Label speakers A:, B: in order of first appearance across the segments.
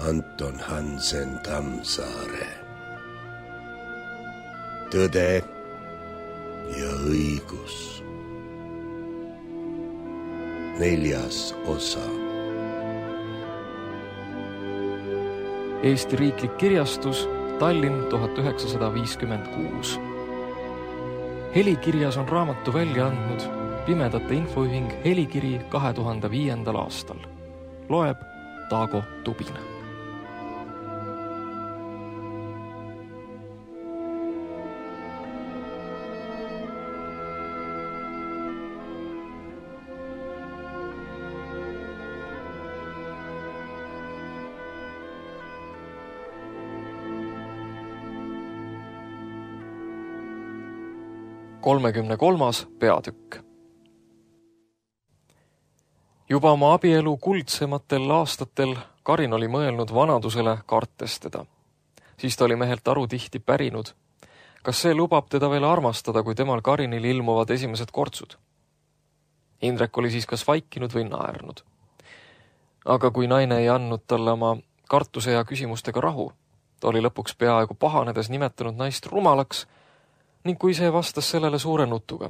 A: Anton Hansen Tammsaare. Tõde ja õigus. 4. osa.
B: Eesti Riiklik Kirjastus, Tallinn 1956. Helikirjas on raamatu välja andnud Pimedate Infoühing Helikiri 2005. aastal. Loeb Taago Tubin. Kolmas peatükk. Juba oma abielu kuldsematel aastatel Karin oli mõelnud vanadusele kartes teda. Siis ta oli mehelt aru tihti pärinud, kas see lubab teda veel armastada, kui temal Karinil ilmuvad esimesed kortsud. Indrek oli siis kas vaikinud või naernud. Aga kui naine ei andnud talle oma kartuse ja küsimustega rahu, ta oli lõpuks peaaegu pahanedes nimetanud naist rumalaks ning kui see vastas sellele suure nutuga,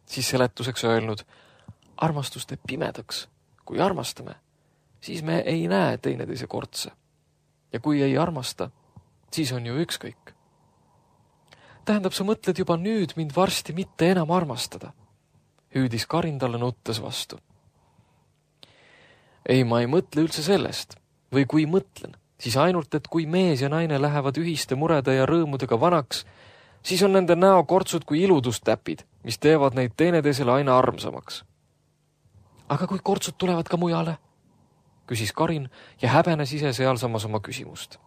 B: siis seletuseks öelnud, armastus teeb pimedaks. Kui armastame, siis me ei näe teineteise kortse. Ja kui ei armasta, siis on ju ükskõik. Tähendab, sa mõtled juba nüüd mind varsti mitte enam armastada, hüüdis Karin talle nuttes vastu. Ei, ma ei mõtle üldse sellest. Või kui mõtlen, siis ainult, et kui mees ja naine lähevad ühiste murede ja rõõmudega vanaks, siis on nende näokortsud kui iludustäpid, mis teevad neid teineteisele aina armsamaks. Aga kui kortsud tulevad ka mujale? Küsis Karin ja häbenes ise sealsamas oma küsimust.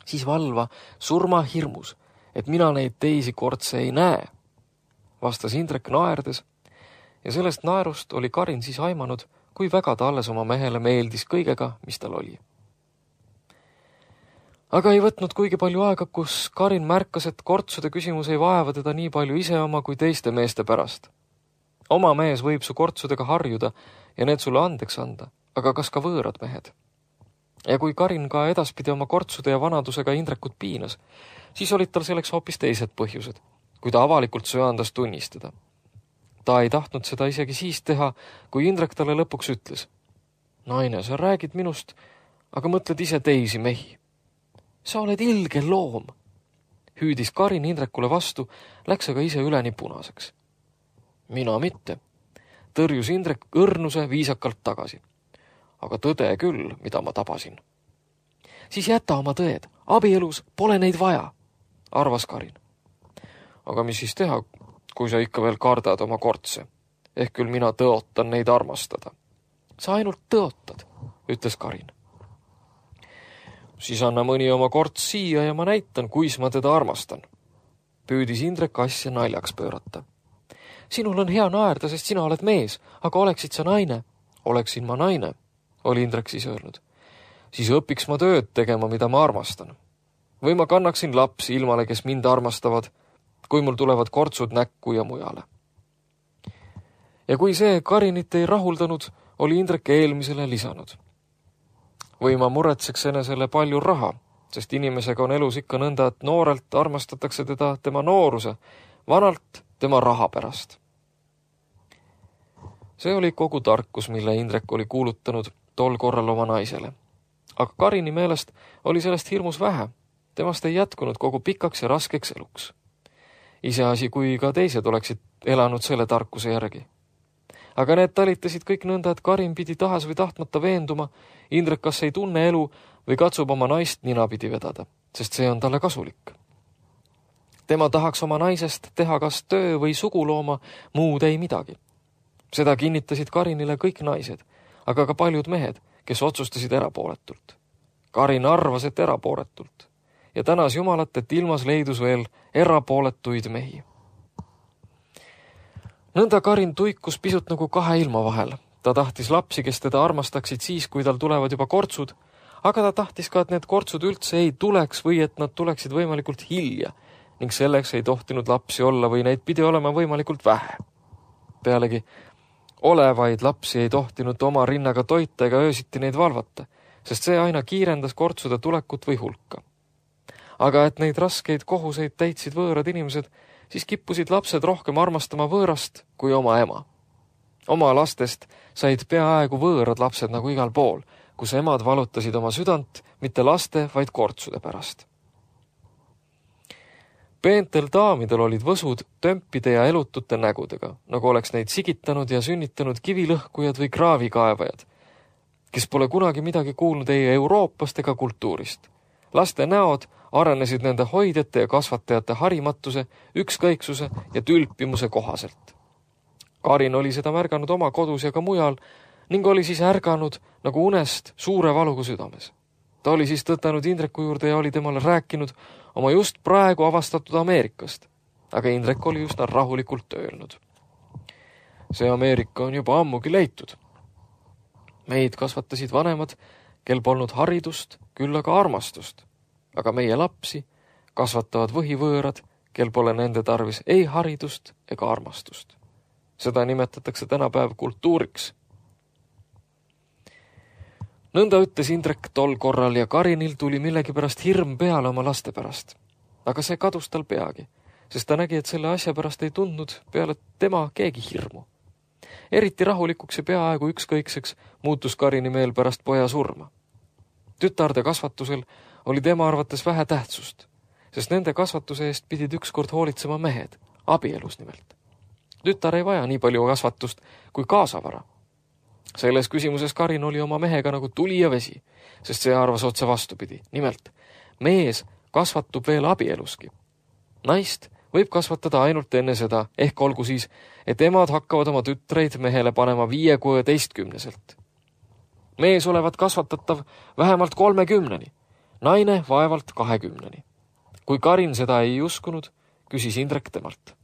B: Siis valva surma hirmus, et mina neid teisi kortse ei näe, vastas Indrek naerdes ja sellest naerust oli Karin siis aimanud, kui väga ta alles oma mehele meeldis kõigega, mis tal oli. Aga ei võtnud kuigi palju aega, kus Karin märkas, et kortsude küsimus ei vaeva teda nii palju ise oma kui teiste meeste pärast. Oma mees võib su kortsudega harjuda ja need sulle andeks anda, aga kas ka võõrad mehed? Ja kui Karin ka edaspidi oma kortsude ja vanadusega Indrekut piinas, siis olid tal selleks hoopis teised põhjused, kui ta avalikult söandas tunnistada. Ta ei tahtnud seda isegi siis teha, kui Indrek talle lõpuks ütles. Naine, sa räägid minust, aga mõtled ise teisi mehi. Sa oled ilge loom, hüüdis Karin Indrekule vastu, läks aga ise üleni punaseks. Mina mitte, tõrjus Indrek õrnuse viisakalt tagasi. Aga tõde küll, mida ma tabasin. Siis jäta oma tõed, abielus pole neid vaja, arvas Karin. Aga mis siis teha, kui sa ikka veel kardad oma kortse? Ehk küll mina tõotan neid armastada. Sa ainult tõotad, ütles Karin. Siis anna mõni oma korts siia ja ma näitan, kuis ma teda armastan. Püüdis Indrek asja naljaks pöörata. Sinul on hea naerda, sest sina oled mees, aga oleksid sa naine? Oleksin ma naine, oli Indrek siis öelnud. Siis õpiks ma tööd tegema, mida ma armastan. Või ma kannaksin lapsi ilmale, kes mind armastavad, kui mul tulevad kortsud näkku ja mujale. Ja kui see Karinit ei rahuldanud, oli Indrek eelmisele lisanud. Või ma muretseks enesele palju raha, sest inimesega on elus ikka nõnda, et noorelt armastatakse teda tema nooruse, vanalt tema raha pärast. See oli kogu tarkus, mille Indrek oli kuulutanud tol korral oma naisele. Aga Karini meelest oli sellest hirmus vähe. Temast ei jätkunud kogu pikaks ja raskeks eluks. Iseasi, kui ka teised oleksid elanud selle tarkuse järgi. Aga need talitasid kõik nõnda, et Karin pidi tahes või tahtmata veenduma, Indrek kas ei tunne elu või katsub oma naist ninapidi vedada, sest see on talle kasulik. Tema tahaks oma naisest teha kas töö või sugulooma, muud ei midagi. Seda kinnitasid Karinile kõik naised, aga ka paljud mehed, kes otsustasid erapooletult. Karin arvas, et erapooletult ja tänas Jumalat, et ilmas leidus veel erapooletuid mehi. Nõnda Karin tuikus pisut nagu kahe ilma vahel. Ta tahtis lapsi, kes teda armastaksid siis, kui tal tulevad juba kortsud, aga ta tahtis ka, et need kortsud üldse ei tuleks või et nad tuleksid võimalikult hilja ning selleks ei tohtinud lapsi olla või neid pidi olema võimalikult vähe. Pealegi olevaid lapsi ei tohtinud oma rinnaga toita ega öösiti neid valvata, sest see aina kiirendas kortsude tulekut või hulka. Aga et neid raskeid kohuseid täitsid võõrad inimesed, siis kippusid lapsed rohkem armastama võõrast kui oma ema. Oma lastest said peaaegu võõrad lapsed nagu igal pool, kus emad valutasid oma südant mitte laste, vaid kortsude pärast. Peentel daamidel olid võsud tömpide ja elutute nägudega, nagu oleks neid sigitanud ja sünnitanud kivilõhkujad või kraavikaevajad, kes pole kunagi midagi kuulnud ei Euroopast ega kultuurist. Laste näod arenesid nende hoidjate ja kasvatajate harimatuse, ükskõiksuse ja tülpimuse kohaselt. Karin oli seda märganud oma kodus ja ka mujal ning oli siis ärganud nagu unest suure valuga südames. Ta oli siis tõtanud Indreku juurde ja oli temale rääkinud oma just praegu avastatud Ameerikast, aga Indrek oli üsna rahulikult öelnud. See Ameerika on juba ammugi leitud. Meid kasvatasid vanemad, kel polnud haridust, küll aga armastust, aga meie lapsi kasvatavad võhivõõrad, kel pole nende tarvis ei haridust ega armastust. Seda nimetatakse tänapäev kultuuriks. Nõnda ütles Indrek tol korral ja Karinil tuli millegipärast hirm peale oma laste pärast. Aga see kadus tal peagi, sest ta nägi, et selle asja pärast ei tundnud peale tema keegi hirmu. Eriti rahulikuks ja peaaegu ükskõikseks muutus Karini meel pärast poja surma. Tütarde kasvatusel oli tema arvates vähe tähtsust, sest nende kasvatuse eest pidid ükskord hoolitsema mehed, abielus nimelt. Tütar ei vaja nii palju kasvatust kui kaasavara. Selles küsimuses Karin oli oma mehega nagu tuli ja vesi, sest see arvas otse vastupidi. Nimelt, mees kasvatub veel abieluski. Naist võib kasvatada ainult enne seda, ehk olgu siis, et emad hakkavad oma tütreid mehele panema 5–16. Mees olevat kasvatatav vähemalt 30, naine vaevalt 20. Kui Karin seda ei uskunud, küsis Indrek temalt.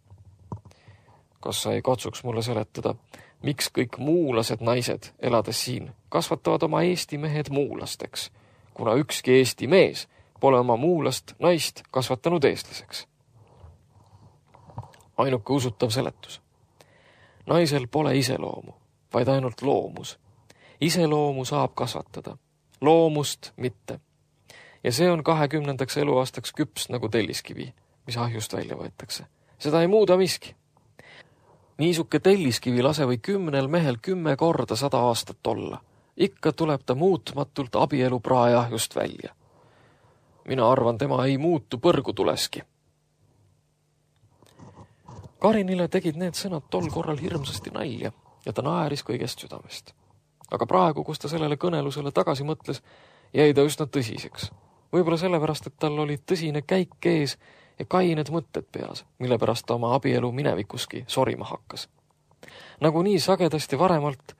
B: Kas sa ei katsuks mulle seletada, miks kõik muulased naised, elades siin, kasvatavad oma Eesti mehed muulasteks, kuna ükski Eesti mees pole oma muulast naist kasvatanud eestlaseks? Ainuke usutav seletus. Naisel pole iseloomu, vaid ainult loomus. Iseloomu saab kasvatada, loomust mitte. Ja see on 20. eluaastaks küps nagu telliskivi, mis ahjust välja võetakse. Seda ei muuda miski. Niisuke telliskivi lase või 10 mehel 10 korda 100 aastat olla. Ikka tuleb ta muutmatult abielu praeahjust välja. Mina arvan, tema ei muutu põrgu tuleski. Karinile tegid need sõnad tol korral hirmsasti nalja ja ta naeris kõigest südamest. Aga praegu, kus ta sellele kõnelusele tagasi mõtles, jäi ta üsna tõsiseks. Võib-olla sellepärast, et tal oli tõsine käik ees ja kained mõtted peas, mille pärast ta oma abielu minevikuski sorima hakkas. Nagu nii sagedasti varemalt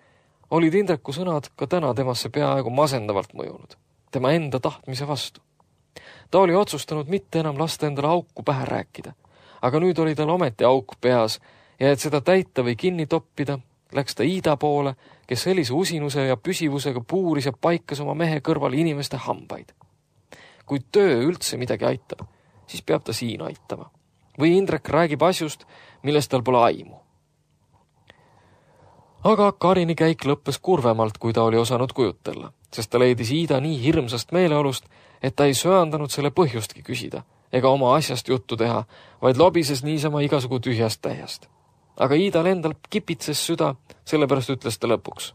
B: olid Indreku sõnad ka täna temasse peaaegu masendavalt mõjunud, tema enda tahtmise vastu. Ta oli otsustanud mitte enam lasta endale auku pähe rääkida, aga nüüd oli tal ometi auk peas ja et seda täita või kinni toppida, läks ta Iida poole, kes sellise usinuse ja püsivusega puuris ja paikas oma mehe kõrval inimeste hambaid. Kui töö üldse midagi aitab, siis peab ta siin aitama. Või Indrek räägib asjust, millest tal pole aimu. Aga Karini käik lõppes kurvemalt, kui ta oli osanud kujutella, sest ta leidis Iida nii hirmsast meeleolust, et ta ei söandanud selle põhjustki küsida ega oma asjast juttu teha, vaid lobises niisama igasugu tühjast täiest. Aga Iidal endal kipitses süda, sellepärast ütles ta lõpuks.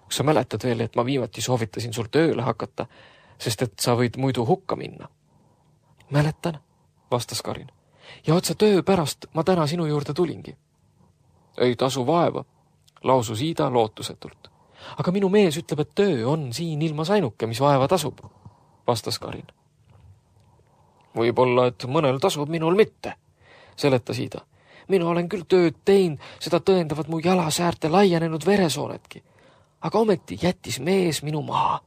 B: Kas sa mäletad veel, et ma viimati soovitasin sul tööle hakata, sest et sa võid muidu hukka minna? Mäletan, vastas Karin. Ja otse töö pärast ma täna sinu juurde tulingi. Ei tasu vaeva, lausus Iida lootusetult. Aga minu mees ütleb, et töö on siin ilmas ainuke, mis vaeva tasub, vastas Karin. Võib-olla, et mõnel tasub, minul mitte, seletas Iida. Mina olen küll tööd teinud, seda tõendavad mu jalasäärte laienenud veresoonetki. Aga ometi jättis mees minu maha.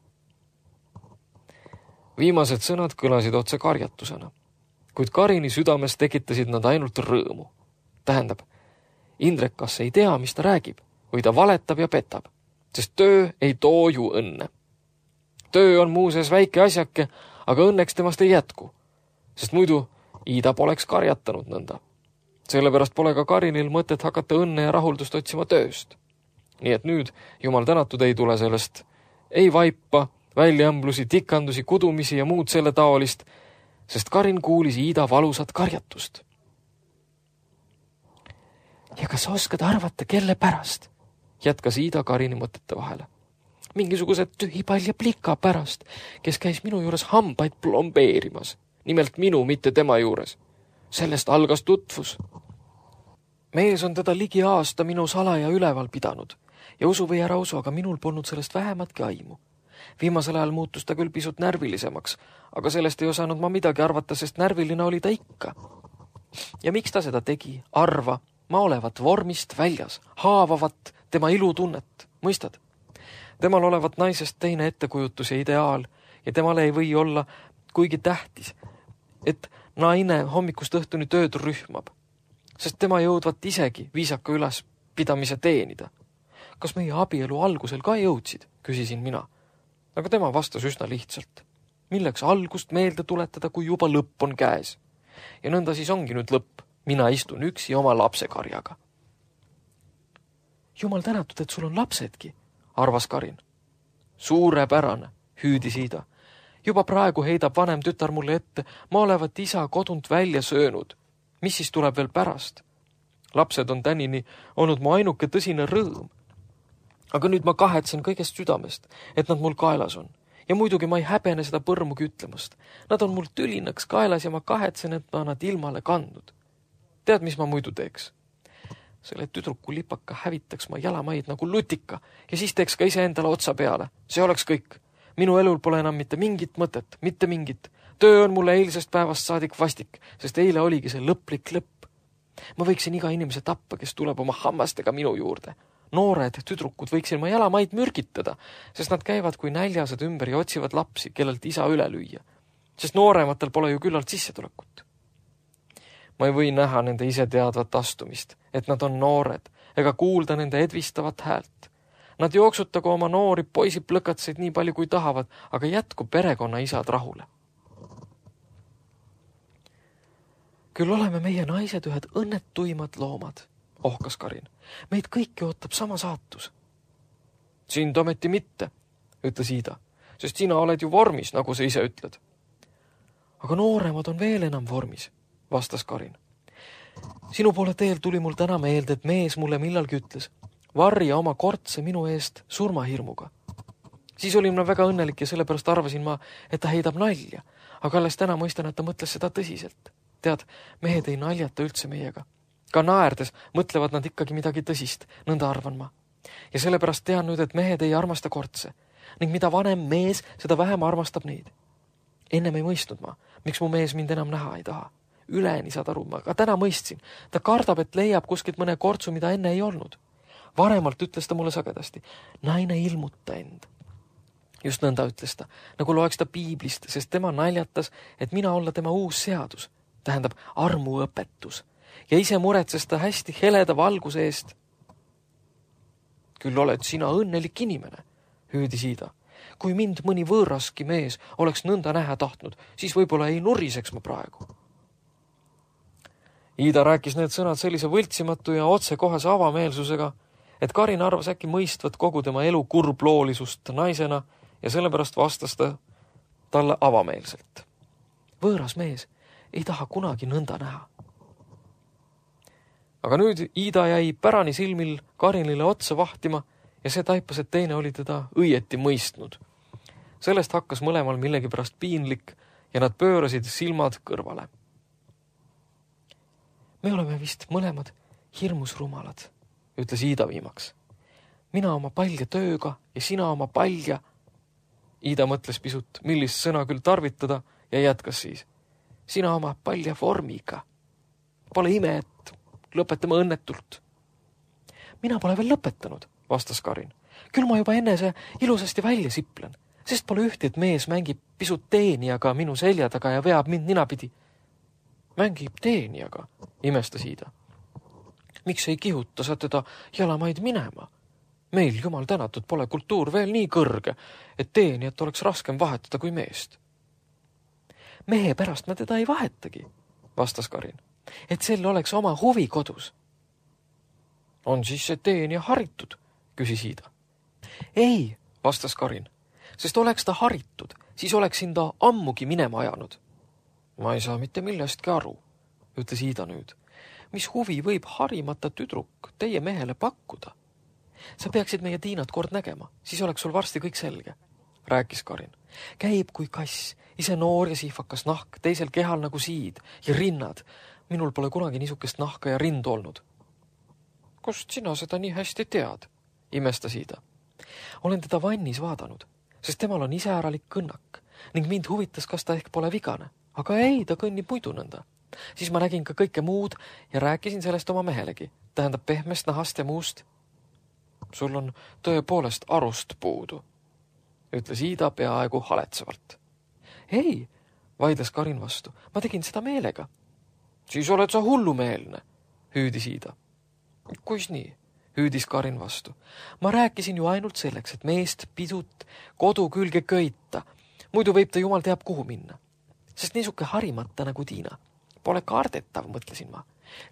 B: Viimased sõnad kõlasid otse karjatusena, kuid Karini südames tekitasid nad ainult rõõmu. Tähendab, Indrek kas ei tea, mis ta räägib, või ta valetab ja petab, sest töö ei too ju õnne. Töö on muuseas väike asjake, aga õnneks temast ei jätku, sest muidu Iida poleks karjatanud nõnda. Sellepärast pole ka Karinil mõtet hakata õnne ja rahuldust otsima tööst. Nii et nüüd, jumal tänatud, ei tule sellest ei vaipa, väljaämblusi, tikandusi, kudumisi ja muud selle taolist, sest Karin kuulis Iida valusat karjatust. Ja kas oskad arvata, kelle pärast? Jätkas Iida Karini mõtete vahele. Mingisuguse tühipalja plika pärast, kes käis minu juures hambaid plombeerimas. Nimelt minu, mitte tema juures. Sellest algas tutvus. Mees on teda ligi aasta minu salaja üleval pidanud ja usu või ära usu, aga minul polnud sellest vähematki aimu. Viimasel ajal muutus ta küll pisut närvilisemaks, aga sellest ei osanud ma midagi arvata, sest närviline oli ta ikka. Ja miks ta seda tegi? Arva, ma olevat vormist väljas, haavavat tema ilutunnet, mõistad? Temal olevat naisest teine ettekujutus ja ideaal ja temale ei või olla kuigi tähtis, et naine hommikust õhtuni tööd rühmab, sest tema jõudvat isegi viisaka ülespidamise teenida. Kas meie abielu algusel ka jõudsid, küsisin mina. Aga tema vastas üsna lihtsalt. Milleks algust meelde tuletada, kui juba lõpp on käes? Ja nõnda siis ongi nüüd lõpp. Mina istun üksi oma lapsekarjaga. Jumal tänatud, et sul on lapsedki, arvas Karin. Suurepärane, hüüdis Iida. Juba praegu heidab vanem tütar mulle ette, ma olevat isa kodunt välja söönud. Mis siis tuleb veel pärast? Lapsed on tänini olnud mu ainuke tõsine rõõm. Aga nüüd ma kahetsen kõigest südamest, et nad mul kaelas on. Ja muidugi ma ei häbene seda põrmugi ütlemast. Nad on mul tülinaks kaelas ja ma kahetsen, et ma nad ilmale kandnud. Tead, mis ma muidu teeks? Selle tüdruku lipaka hävitaks ma jalamaid nagu lutika ja siis teeks ka ise endale otsa peale. See oleks kõik. Minu elul pole enam mitte mingit mõtet, mitte mingit. Töö on mulle eilsest päevast saadik vastik, sest eile oligi see lõplik lõpp. Ma võiksin iga inimese tappa, kes tuleb oma hammastega minu juurde. Noored tüdrukud võiksin ma jalamaid mürgitada, sest nad käivad kui näljased ümber ja otsivad lapsi, kellelt isa üle lüüa. Sest noorematel pole ju küllalt sissetulekut. Ma ei või näha nende iseteadvat astumist, et nad on noored, ega kuulda nende edvistavat häält. Nad jooksutagu oma noori poisiplõkatseid nii palju kui tahavad, aga jätku perekonna isad rahule. Küll oleme meie naised ühed õnnetuimad loomad, ohkas Karin. Meid kõiki ootab sama saatus. Sind ometi mitte, ütles Iida, sest sina oled ju vormis, nagu sa ise ütled. Aga nooremad on veel enam vormis, vastas Karin. Sinu poole teel tuli mul täna meelde, et mees mulle millalgi ütles, varja oma kortse minu eest surmahirmuga. Siis olin ma väga õnnelik ja sellepärast arvasin ma, et ta heidab nalja, aga alles täna mõistan, et ta mõtles seda tõsiselt. Tead, mehed ei naljata üldse meiega. Ka naerdes mõtlevad nad ikkagi midagi tõsist, nõnda arvan ma. Ja sellepärast tean nüüd, et mehed ei armasta kortse, ning mida vanem mees, seda vähem armastab neid. Ennem ei mõistnud ma, miks mu mees mind enam näha ei taha. Üleni saad aru, ma ka täna mõistsin. Ta kardab, et leiab kuskilt mõne kortsu, mida enne ei olnud. Varemalt ütles ta mulle sagedasti, naine ilmuta end. Just nõnda ütles ta, nagu loeks ta piiblist, sest tema naljatas, et mina olla tema uus seadus, tähendab armuõpetus, ja ise muretses ta hästi heleda valguse eest. Küll oled sina õnnelik inimene, hüüdis Iida. Kui mind mõni võõraski mees oleks nõnda näha tahtnud, siis võib-olla ei nuriseks ma praegu. Iida rääkis need sõnad sellise võltsimatu ja otsekohase avameelsusega, et Karin arvas äkki mõistvat kogu tema elu kurbloolisust naisena ja sellepärast vastas ta talle avameelselt. Võõras mees ei taha kunagi nõnda näha. Aga nüüd Iida jäi pärani silmil Karinile otsa vahtima ja see taipas, et teine oli teda õieti mõistnud. Sellest hakkas mõlemal millegipärast piinlik ja nad pöörasid silmad kõrvale. Me oleme vist mõlemad hirmus rumalad, ütles Iida viimaks. Mina oma palja tööga ja sina oma palja. Iida mõtles pisut, millist sõna küll tarvitada ja jätkas siis. Sina oma palja vormiga. Pole ime, et lõpetame õnnetult. Mina pole veel lõpetanud, vastas Karin. Küll ma juba enne see ilusasti välja siplen, sest pole ühti, et mees mängib pisut teenijaga minu selja taga ja veab mind ninapidi. Mängib teenijaga, imestas Iida. Miks ei kihuta sa teda jalamaid minema? Meil, jumal tänatud, pole kultuur veel nii kõrge, et teenijat oleks raskem vahetada kui meest. Mehe pärast ma teda ei vahetagi, vastas Karin, et sel oleks oma huvi kodus. On siis see teenija haritud, küsis Iida. Ei, vastas Karin, sest oleks ta haritud, siis oleksin ta ammugi minema ajanud. Ma ei saa mitte millestki aru, ütles Iida nüüd. Mis huvi võib harimata tüdruk teie mehele pakkuda? Sa peaksid meie Tiinat kord nägema, siis oleks sul varsti kõik selge, rääkis Karin. Käib kui kass, ise noor ja sihvakas nahk, teisel kehal nagu siid ja rinnad. Minul pole kunagi niisugust nahka ja rindu olnud. Kust sina seda nii hästi tead? Imestas Iida. Olen teda vannis vaadanud, sest temal on iseäralik kõnnak ning mind huvitas, kas ta ehk pole vigane. Aga ei, ta kõnnib muidu nõnda. Siis ma nägin ka kõike muud ja rääkisin sellest oma mehelegi. Tähendab pehmest nahast ja muust. Sul on tõepoolest arust puudu, ütles Iida peaaegu haletsevalt. Ei, vaidles Karin vastu. Ma tegin seda meelega. Siis oled sa hullumeelne, hüüdis Iida. Kuis nii? Hüüdis Karin vastu. Ma rääkisin ju ainult selleks, et meest pidut kodu külge köita. Muidu võib ta jumal teab kuhu minna. Sest niisuke harimata nagu Tiina. Pole kardetav, mõtlesin ma.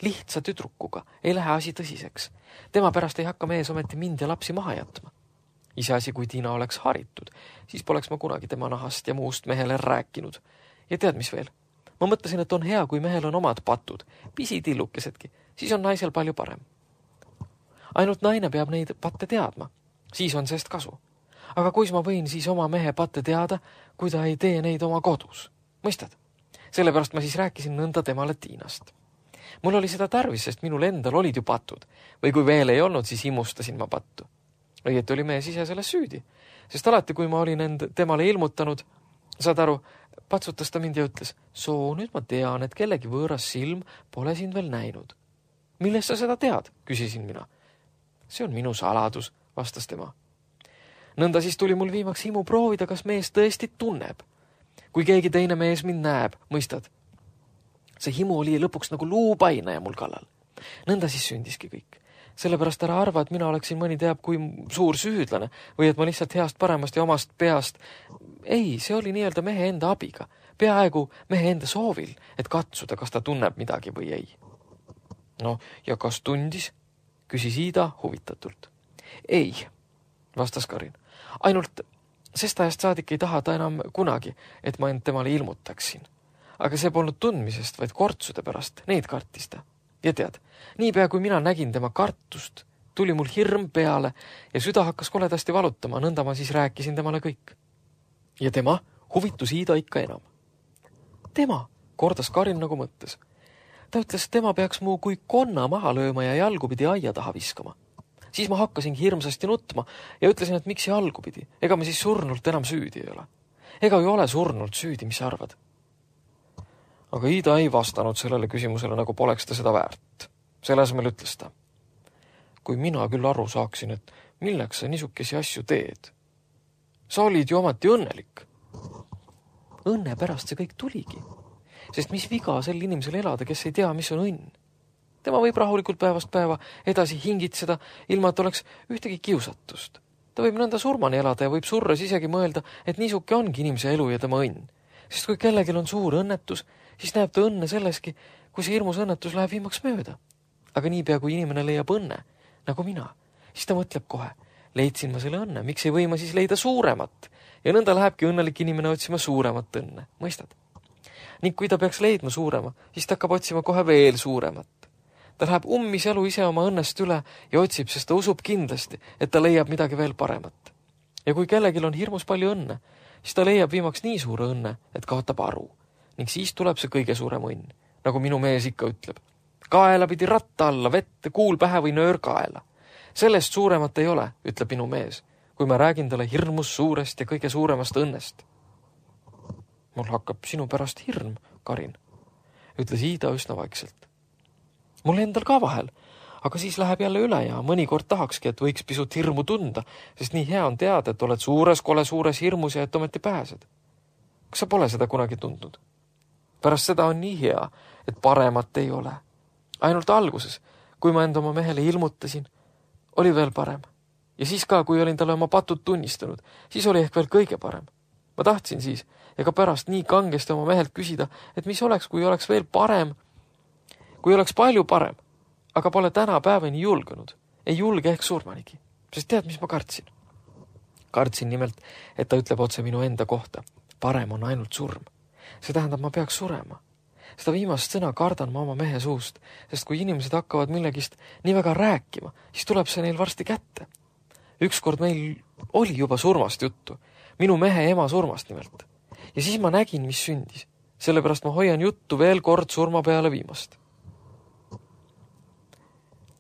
B: Lihtsa tüdrukuga ei lähe asi tõsiseks. Tema pärast ei hakka mees ometi mind ja lapsi maha jätma. Iseasi, kui Tiina oleks haritud, siis poleks ma kunagi tema nahast ja muust mehele rääkinud. Ja tead, mis veel? Ma mõtlesin, et on hea, kui mehel on omad patud, pisitillukesedki, siis on naisel palju parem. Ainult naine peab neid patte teadma, siis on sest kasu. Aga kuis ma võin siis oma mehe patte teada, kui ta ei tee neid oma kodus? Mõistad? Sellepärast ma siis rääkisin nõnda temale Tiinast. Mul oli seda tarvis, sest minul endal olid ju patud. Või kui veel ei olnud, siis imustasin ma pattu. Õieti oli mees ise selles süüdi. Sest alati, kui ma olin temale ilmutanud, saad aru, patsutas ta mind ja ütles, soo, nüüd ma tean, et kellegi võõras silm pole sind veel näinud. Millest sa seda tead? Küsisin mina. See on minu saladus, vastas tema. Nõnda siis tuli mul viimaks himu proovida, kas mees tõesti tunneb. Kui keegi teine mees mind näeb, mõistad? See himu oli lõpuks nagu luupainaja mul kallal. Nõnda siis sündiski kõik. Sellepärast ära arva, et mina oleksin mõni teab kui suur süüdlane või et ma lihtsalt heast paremast ja omast peast. Ei, see oli nii-öelda mehe enda abiga. Peaaegu mehe enda soovil, et katsuda, kas ta tunneb midagi või ei. No, ja kas tundis? Küsis Iida huvitatult. Ei, vastas Karin. Ainult sest ajast saadik ei taha ta enam kunagi, et ma end temale ilmutaksin. Aga see polnud tundmisest, vaid kortsude pärast, neid kartis ta. Ja tead, niipea kui mina nägin tema kartust, tuli mul hirm peale ja süda hakkas koledasti valutama, nõnda ma siis rääkisin temale kõik. Ja tema huvitus Iida ikka enam. Tema, kordas Karin nagu mõttes. Ta ütles, tema peaks mu kui konna maha lööma ja jalgupidi aia taha viskama. Siis ma hakkasin hirmsasti nutma ja ütlesin, et miks jalgupidi, ega me siis surnult enam süüdi ei ole. Ega ju ole surnult süüdi, mis sa arvad? Aga Iida ei vastanud sellele küsimusele, nagu poleks ta seda väärt. Selle asemel ütles ta. Kui mina küll aru saaksin, et milleks sa niisukesi asju teed? Sa olid ju omati õnnelik. Õnne pärast see kõik tuligi. Sest mis viga sel inimesel elada, kes ei tea, mis on õnn? Tema võib rahulikult päevast päeva edasi hingitseda, ilma et oleks ühtegi kiusatust. Ta võib nõnda surmani elada ja võib surres isegi mõelda, et niisuke ongi inimese elu ja tema õnn. Sest kui kellelgi on suur õnnetus, siis näeb ta õnne selleski, kui see hirmus õnnetus läheb viimaks mööda. Aga niipea, kui inimene leiab õnne, nagu mina, siis ta mõtleb kohe, leidsin ma selle õnne, miks ei või ma siis leida suuremat? Ja nõnda lähebki õnnelik inimene otsima suuremat õnne, mõistad? Ning kui ta peaks leidma suurema, siis ta hakkab otsima kohe veel suuremat. Ta läheb ummis elu ise oma õnnest üle ja otsib, sest ta usub kindlasti, et ta leiab midagi veel paremat. Ja kui kellelgi on hirmus palju õnne, siis ta leiab viimaks nii suure õnne, et kaotab aru. Ning siis tuleb see kõige suurem õnn, nagu minu mees ikka ütleb. Kaela pidi ratta alla, vette, kuul pähe või nöör kaela. Sellest suuremat ei ole, ütleb minu mees, kui ma räägin talle hirmus suurest ja kõige suuremast õnnest. Mul hakkab sinu pärast hirm, Karin, ütles Iida üsna vaikselt. Mul endal ka vahel, aga siis läheb jälle üle ja mõnikord tahakski, et võiks pisut hirmu tunda, sest nii hea on teada, et oled suures, kole suures hirmus ja et ometi pääsed. Kas sa pole seda kunagi tundnud? Pärast seda on nii hea, et paremat ei ole. Ainult alguses, kui ma enda oma mehele ilmutasin, oli veel parem. Ja siis ka, kui olin talle oma patud tunnistanud, siis oli ehk veel kõige parem. Ma tahtsin siis, ega pärast nii kangesti oma mehelt küsida, et mis oleks, kui oleks veel parem, kui oleks palju parem, aga pole täna päevani julgenud. Ei julge ehk surmanigi, sest tead, mis ma kartsin? Kartsin nimelt, et ta ütleb otse minu enda kohta. Parem on ainult surm. See tähendab, ma peaks surema. Seda viimast sõna kardan ma oma mehe suust, sest kui inimesed hakkavad millegist nii väga rääkima, siis tuleb see neil varsti kätte. Ükskord meil oli juba surmast juttu. Minu mehe ema surmast nimelt. Ja siis ma nägin, mis sündis. Sellepärast ma hoian juttu veel kord surma peale viimast.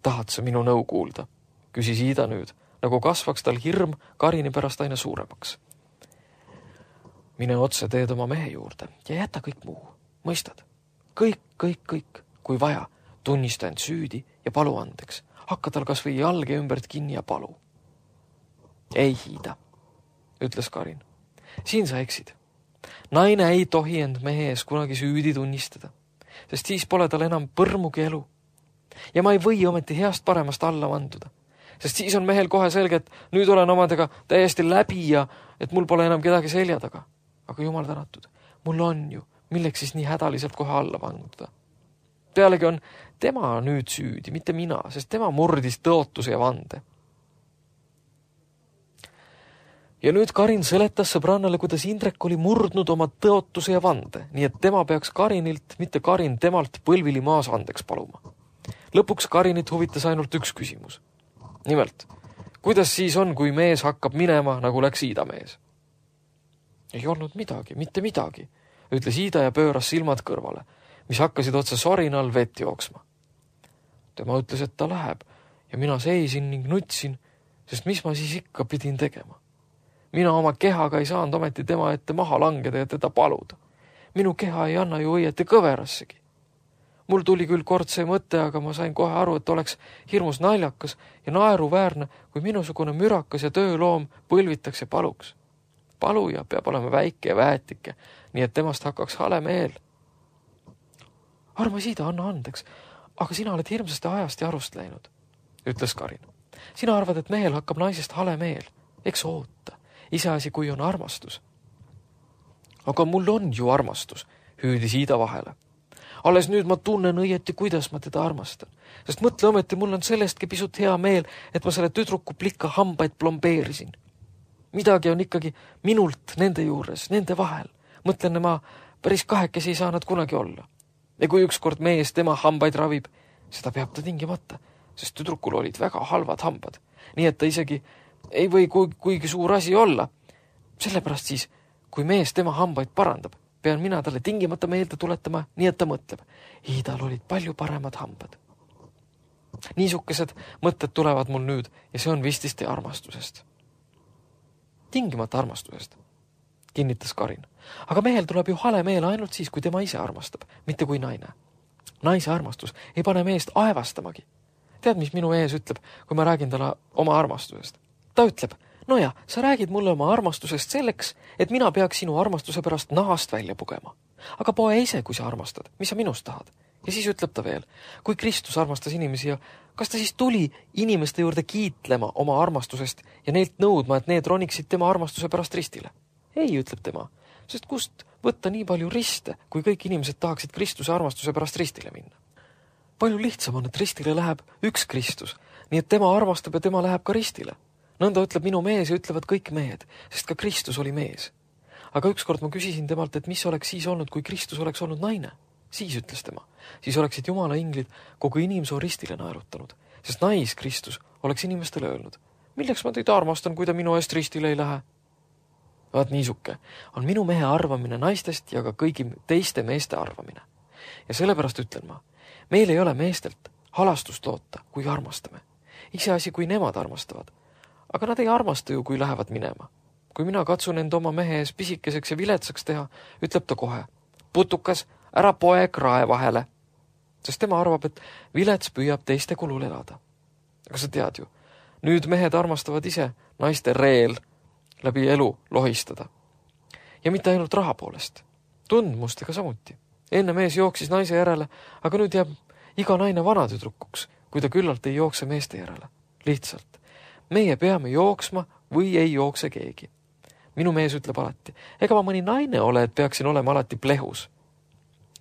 B: Tahad sa minu nõu kuulda? Küsis Iida nüüd, nagu kasvaks tal hirm Karini pärast aina suuremaks. Mine otse teed oma mehe juurde ja jäta kõik muu. Mõistad? Kõik, kui vaja, tunnista end süüdi ja palu andeks. Hakka tal kas või jalge ümbert kinni ja palu. Ei, Iida, ütles Karin. Siin sa eksid. Naine ei tohi end mehe ees kunagi süüdi tunnistada, sest siis pole tal enam põrmugi elu. Ja ma ei või ometi heast paremast alla vanduda, sest siis on mehel kohe selge, et nüüd olen omadega täiesti läbi ja et mul pole enam kedagi selja taga. Aga jumal tänatud, mul on ju, milleks siis nii hädaliselt kohe alla vanduda. Pealegi on tema nüüd süüdi, mitte mina, sest tema murdis tõotuse ja vande. Ja nüüd Karin seletas sõbrannale, kuidas Indrek oli murdnud oma tõotuse ja vande, nii et tema peaks Karinilt, mitte Karin temalt põlvili maas andeks paluma. Lõpuks Karinit huvitas ainult üks küsimus. Nimelt, kuidas siis on, kui mees hakkab minema, nagu läks Iida mees? Ei olnud midagi, mitte midagi, ütles Iida ja pööras silmad kõrvale, mis hakkasid otse sorinal vett jooksma. Tema ütles, et ta läheb ja mina seisin ning nutsin, sest mis ma siis ikka pidin tegema. Mina oma kehaga ei saanud ometi tema ette maha langeda ja teda paluda. Minu keha ei anna ju õieti kõverassegi. Mul tuli küll kord see mõte, aga ma sain kohe aru, et oleks hirmus naljakas ja naeruväärne, kui minusugune mürakas ja tööloom põlvitakse paluks. Paluja peab olema väike ja väetike, nii et temast hakkaks hale meel. Armas Iida, anna andeks, aga sina oled hirmsasti ajast ja arust läinud, ütles Karin. Sina arvad, et mehel hakkab naisest hale meel. Eks oota, iseasi kui on armastus. Aga mul on ju armastus, hüüdis Iida vahele. Alles nüüd ma tunnen õieti, kuidas ma teda armastan. Sest mõtle ometi, mul on sellestki pisut hea meel, et ma selle tüdruku plika hambaid plombeerisin. Midagi on ikkagi minult nende juures, nende vahel. Mõtlen, ma päris kahekesi ei saa nad kunagi olla. Ja kui ükskord mees tema hambaid ravib, seda peab ta tingimata, sest tüdrukul olid väga halvad hambad. Nii et ta isegi ei või kuigi suur asi olla. Sellepärast siis, kui mees tema hambaid parandab, pean mina talle tingimata meelde tuletama, nii et ta mõtleb. Iidal olid palju paremad hambad. Niisugused mõtted tulevad mul nüüd ja see on vististi armastusest. Tingimata armastusest, kinnitas Karin. Aga mehel tuleb ju hale meel ainult siis, kui tema ise armastab, mitte kui naine. Naise armastus ei pane meest aevastamagi. Tead, mis minu ees ütleb, kui ma räägin talle oma armastusest? Ta ütleb, no ja, sa räägid mulle oma armastusest selleks, et mina peaks sinu armastuse pärast nahast välja pugema. Aga poe ise, kui sa armastad, mis sa minust tahad? Ja siis ütleb ta veel, kui Kristus armastas inimesi ja kas ta siis tuli inimeste juurde kiitlema oma armastusest ja neilt nõudma, et need roniksid tema armastuse pärast ristile? Ei, ütleb tema, sest kust võtta nii palju riste, kui kõik inimesed tahaksid Kristuse armastuse pärast ristile minna? Palju lihtsam on, et ristile läheb üks Kristus, nii et tema armastab ja tema läheb ka ristile. Nõnda ütleb minu mees ja ütlevad kõik mehed, sest ka Kristus oli mees. Aga ükskord ma küsisin temalt, et mis oleks siis olnud, kui Kristus oleks olnud naine. Siis ütles tema, siis oleksid Jumala inglid kogu inimsoo ristile naerutanud, sest nais Kristus oleks inimestele öelnud, milleks ma teid armastan, kui ta minu eest ristile ei lähe. Vaat niisuke on minu mehe arvamine naistest ja ka kõigi teiste meeste arvamine. Ja sellepärast ütlen ma, meil ei ole meestelt halastust loota, kui armastame. Iseasi, kui nemad armastavad. Aga nad ei armasta ju, kui lähevad minema. Kui mina katsun end oma mehe ees pisikeseks ja viletsaks teha, ütleb ta kohe, putukas, ära poe krae vahele. Sest tema arvab, et vilets püüab teiste kulul elada. Aga sa tead ju, nüüd mehed armastavad ise naiste reel läbi elu lohistada. Ja mitte ainult raha poolest. Tundmustega samuti. Enne mees jooksis naise järele, aga nüüd jääb iga naine vanatüdrukuks, kui ta küllalt ei jookse meeste järele. Lihtsalt. Meie peame jooksma või ei jookse keegi. Minu mees ütleb alati, ega ma mõni naine ole, et peaksin olema alati plehus.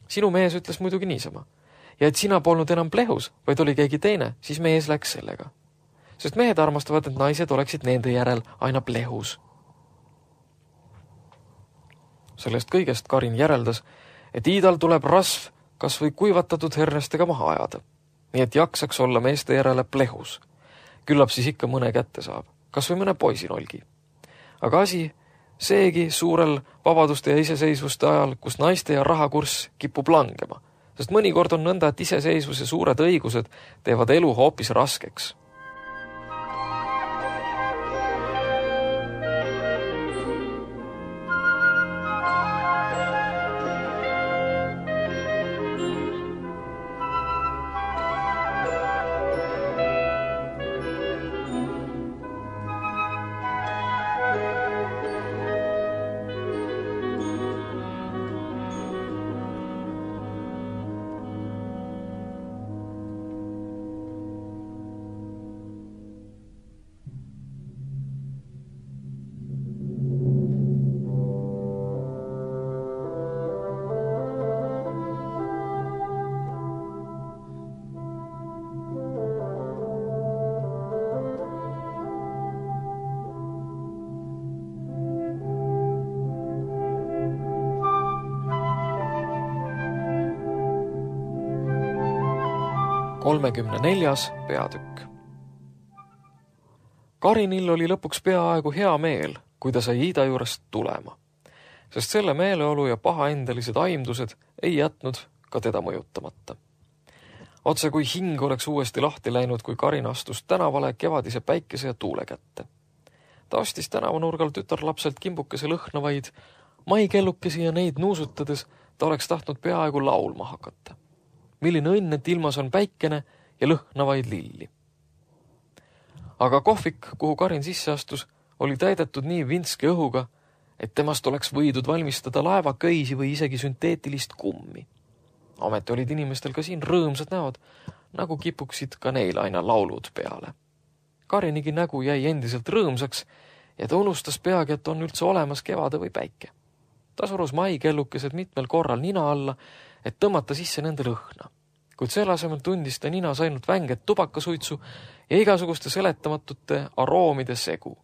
B: Sinu mees ütles muidugi niisama. Ja et sina polnud enam plehus, vaid oli keegi teine, siis mees läks sellega. Sest mehed armastavad, et naised oleksid nende järel aina plehus. Sellest kõigest Karin järeldas, et Iidal tuleb rasv kas või kuivatatud hernestega maha ajada, nii et jaksaks olla meeste järele plehus. Küllap siis ikka mõne kätte saab, kas või mõne poisinolgi. Aga asi seegi suurel vabaduste ja iseseisvuste ajal, kus naiste ja rahakurss kipub langema, sest mõnikord on nõnda, et iseseisvus ja suured õigused teevad elu hoopis raskeks. Kolmekümne peatükk. Karinil oli lõpuks peaaegu hea meel, kui ta sai Iida juurest tulema, sest selle meeleolu ja pahaendelised aimdused ei jätnud ka teda mõjutamata. Otse kui hing oleks uuesti lahti läinud, kui Karin astus tänavale kevadise päikese ja tuule kätte. Ta ostis tänavanurgal tütarlapselt kimbukese lõhnavaid maikellukesi ja neid nuusutades ta oleks tahtnud peaaegu laulma hakata. Milline õnn, et ilmas on päikene ja lõhnavaid lilli. Aga kohvik, kuhu Karin sisse astus, oli täidetud nii vintske õhuga, et temast oleks võidud valmistada laevaköisi või isegi sünteetilist kummi. Ometi olid inimestel ka siin rõõmsad näod, nagu kipuksid ka neil aina laulud peale. Karinigi nägu jäi endiselt rõõmsaks ja ta unustas peagi, et on üldse olemas kevade või päike. Ta surus maikellukesed mitmel korral nina alla, et tõmmata sisse nende lõhna. Kuid selle asemel tundis ta ninas ainult vänget tubakasuitsu ja igasuguste seletamatute aroomide segu.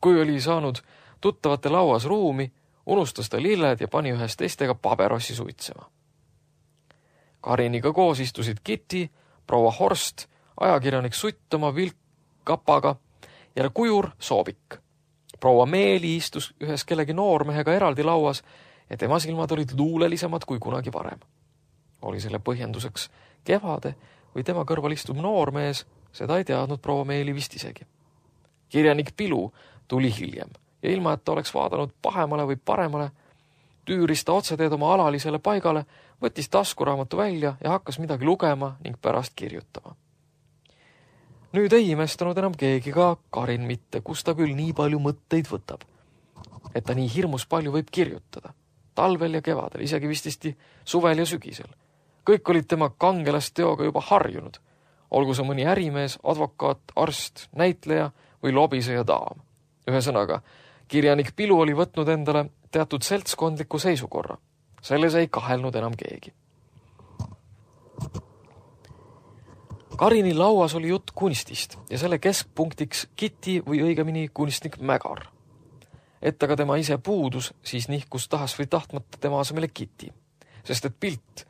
B: Kui oli saanud tuttavate lauas ruumi, unustas ta lilled ja pani ühes teistega paberossi suitsema. Kariniga koos istusid Kitty, proua Horst, ajakirjanik Sutt oma vilkkapaga ja kujur Soobik. Proua Meeli istus ühes kellegi noormehega eraldi lauas ja tema silmad olid luulelisemad kui kunagi varem. Oli selle põhjenduseks kevade või tema kõrval istuv noormees, seda ei teadnud proua Meeli vist isegi. Kirjanik Pilu tuli hiljem ja ilma, et ta oleks vaadanud pahemale või paremale, tüüris ta otseteed oma alalisele paigale, võttis taskuraamatu välja ja hakkas midagi lugema ning pärast kirjutama. Nüüd ei imestanud enam keegi, ka Karin mitte, kus ta küll nii palju mõtteid võtab, et ta nii hirmus palju võib kirjutada. Talvel ja kevadel, isegi vististi suvel ja sügisel. Kõik olid tema kangelasteoga juba harjunud, olgu see mõni ärimees, advokaat, arst, näitleja või lobiseja daam. Ühesõnaga, kirjanik Pilu oli võtnud endale teatud seltskondliku seisukorra. Selles ei kahelnud enam keegi. Karini lauas oli jutt kunstist ja selle keskpunktiks Kitty või õigemini kunstnik Mägar. Et aga tema ise puudus, siis nihkus tahas või tahtmata tema asemele Kitty, sest et pilt,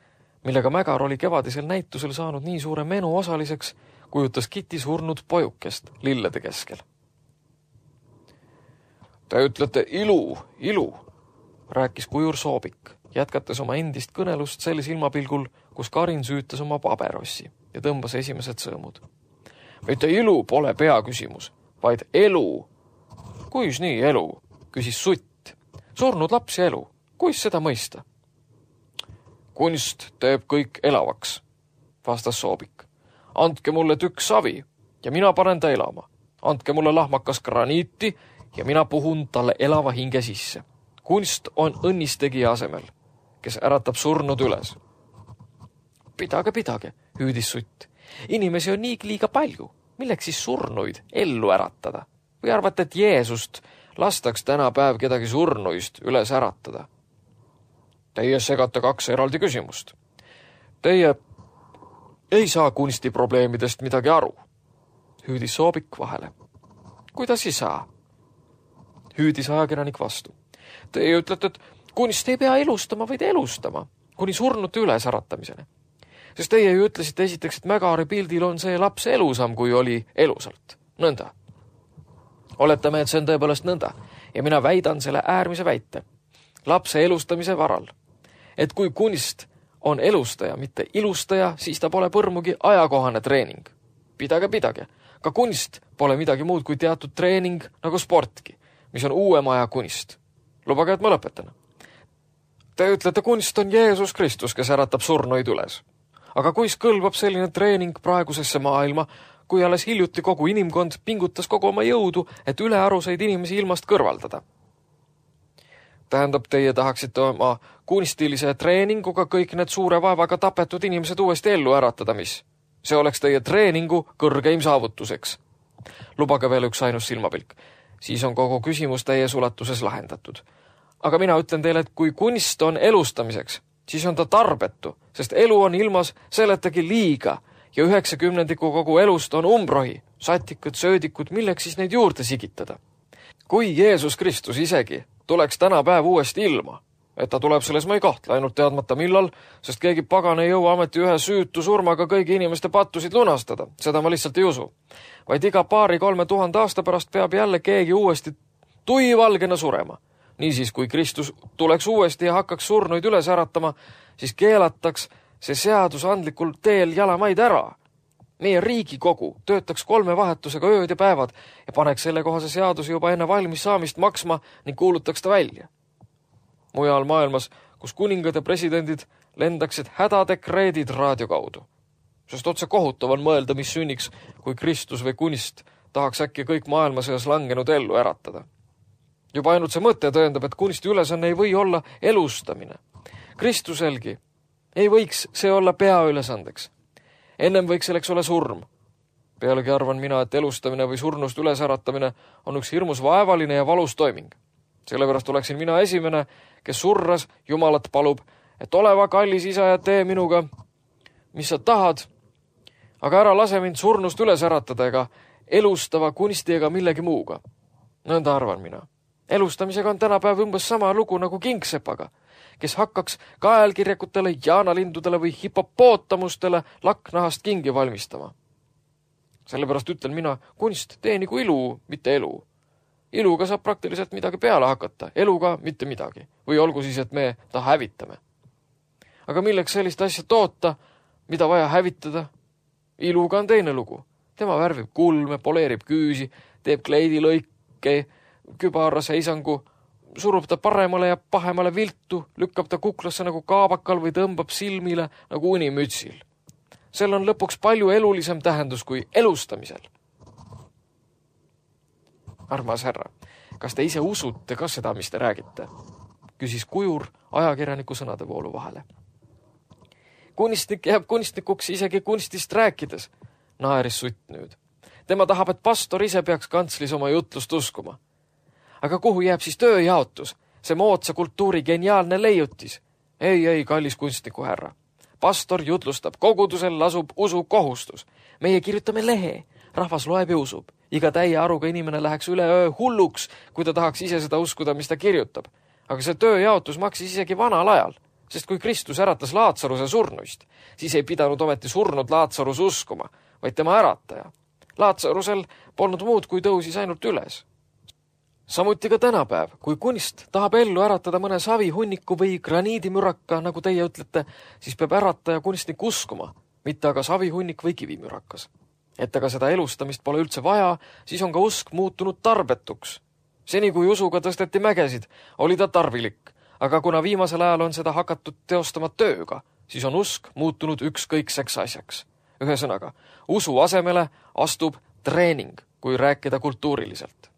B: millega Mägar oli kevadisel näitusel saanud nii suure menu osaliseks, kujutas Kitty surnud pojukest lillede keskel. Te ütlete ilu, rääkis kujur Soobik, jätkates oma endist kõnelust sel silmapilgul, kus Karin süütas oma paberossi ja tõmbas esimesed sõõmud. Mitte ilu pole peaküsimus, vaid elu. Kuis nii elu? Küsis Sutt. Surnud laps ja elu. Kuis seda mõista? Kunst teeb kõik elavaks, vastas Soobik. Andke mulle tükk savi ja mina panen ta elama. Andke mulle lahmakas graniiti ja mina puhun talle elava hinge sisse. Kunst on õnnistegija asemel, kes äratab surnud üles. Pidage, hüüdis Sutt. Inimesi on nii liiga palju. Milleks siis surnuid ellu äratada? Või arvate, et Jeesust lastaks tänapäev kedagi surnuist üles äratada? Teie segate kaks eraldi küsimust. Teie ei saa kunstiprobleemidest midagi aru, hüüdis Soobik vahele. Kuidas ei saa? Hüüdis ajakirjanik vastu. Teie ütlete, et kunst ei pea elustama, vaid elustama, kuni surnute ülesäratamiseni. Sest teie ju ütlesite esiteks, et Mägari pildil on see laps elusam, kui oli elusalt. Nõnda. Oletame, et see on tõepoolest nõnda ja mina väidan selle äärmise väite lapse elustamise varal, et kui kunst on elustaja, mitte ilustaja, siis ta pole põrmugi ajakohane treening. Pidage. Ka kunst pole midagi muud kui teatud treening nagu sportki, mis on uuema aja kunst. Lubage, et ma lõpetan. Te ütlete, kunst on Jeesus Kristus, kes äratab surnuid üles. Aga kuis kõlbab selline treening praegusesse maailma, kui alles hiljuti kogu inimkond pingutas kogu oma jõudu, et ülearuseid inimesi ilmast kõrvaldada? Tähendab, teie tahaksite oma kunstilise treeninguga kõik need suure vaevaga tapetud inimesed uuesti ellu äratada, mis? See oleks teie treeningu kõrgeim saavutuseks. Lubage veel üks ainus silmapilk. Siis on kogu küsimus täies ulatuses lahendatud. Aga mina ütlen teile, et kui kunst on elustamiseks, siis on ta tarbetu, sest elu on ilmas seletagi liiga ja 90% kogu elust on umbrohi, satikud, söödikud, milleks siis neid juurde sigitada. Kui Jeesus Kristus isegi tuleks tänapäev uuesti ilma, et ta tuleb selles ma ei kahtle, ainult teadmata millal, sest keegi pagan ei jõua ameti ühe süütu surmaga kõigi inimeste pattusid lunastada, seda ma lihtsalt ei usu. Vaid iga 2-3 tuhande aasta pärast peab jälle keegi uuesti tuivalgena surema. Niisiis, kui Kristus tuleks uuesti ja hakkaks surnuid üles äratama, siis keelataks see seadusandlikul teel jalamaid ära. Meie Riigikogu töötaks 3 vahetusega ööd ja päevad ja paneks selle kohase seaduse juba enne valmis saamist maksma ning kuulutaks ta välja. Mujal maailmas, kus kuningad ja presidendid lendaksid hädadekreedid raadio kaudu. Sest otse kohutav on mõelda, mis sünniks, kui Kristus või kunst tahaks äkki kõik maailma seas langenud ellu äratada. Juba ainult see mõte tõendab, et kunsti ülesanne ei või olla elustamine. Kristuselgi ei võiks see olla peaülesandeks. Ennem võiks selleks olla surm. Pealegi arvan mina, et elustamine või surnust ülesäratamine on üks hirmus vaevaline ja valus toiming. Sellepärast oleksin mina esimene, kes surras Jumalat palub, et oleva kallis isa ja tee minuga, mis sa tahad, aga ära lase mind surnust üles äratada ega elustava kunsti ega millegi muuga. Nõnda arvan mina. Elustamisega on tänapäev umbes sama lugu nagu kingsepaga, kes hakkaks kaelkirjakutele, jaanalindudele või hipopootamustele laknahast kingi valmistama. Sellepärast ütlen mina, kunst teenigu ilu, mitte elu. Iluga saab praktiliselt midagi peale hakata, eluga mitte midagi. Või olgu siis, et me ta hävitame. Aga milleks sellist asja toota, mida vaja hävitada? Iluga on teine lugu. Tema värvib kulme, poleerib küüsi, teeb kleidilõike, kübara seisangu, surub ta paremale ja pahemale viltu, lükkab ta kuklasse nagu kaabakal või tõmbab silmile nagu unimütsil. Sel on lõpuks palju elulisem tähendus kui elustamisel. Armas härra, kas te ise usute ka seda, mis te räägite? Küsis Kujur ajakirjaniku sõnadevoolu vahele. Kunstnik jääb kunstnikuks isegi kunstist rääkides, naeris Sutt nüüd. Tema tahab, et pastor ise peaks kantslis oma jutlust uskuma. Aga kuhu jääb siis tööjaotus? See moodsa kultuuri geniaalne leiutis. Ei, kallis kunstniku härra. Pastor jutlustab, kogudusel lasub usu kohustus. Meie kirjutame lehe, rahvas loeb ja usub. Iga täie aruga inimene läheks üle öö hulluks, kui ta tahaks ise seda uskuda, mis ta kirjutab. Aga see tööjaotus maksis isegi vanal ajal, sest kui Kristus äratas Laatsaruse surnuist, siis ei pidanud ometi surnud Laatsarus uskuma, vaid tema ärataja. Laatsarusel polnud muud, kui tõusis ainult üles. Samuti ka tänapäev, kui kunst tahab ellu äratada mõne savihunniku või graniidimüraka, nagu teie ütlete, siis peab ärataja kunstnik uskuma, mitte aga savihunnik või kivimürakas. Et aga seda elustamist pole üldse vaja, siis on ka usk muutunud tarbetuks. Seni kui usuga tõsteti mägesid, oli ta tarvilik, aga kuna viimasel ajal on seda hakatud teostama tööga, siis on usk muutunud ükskõikseks asjaks. Ühesõnaga, usu asemele astub treening, kui rääkida kultuuriliselt.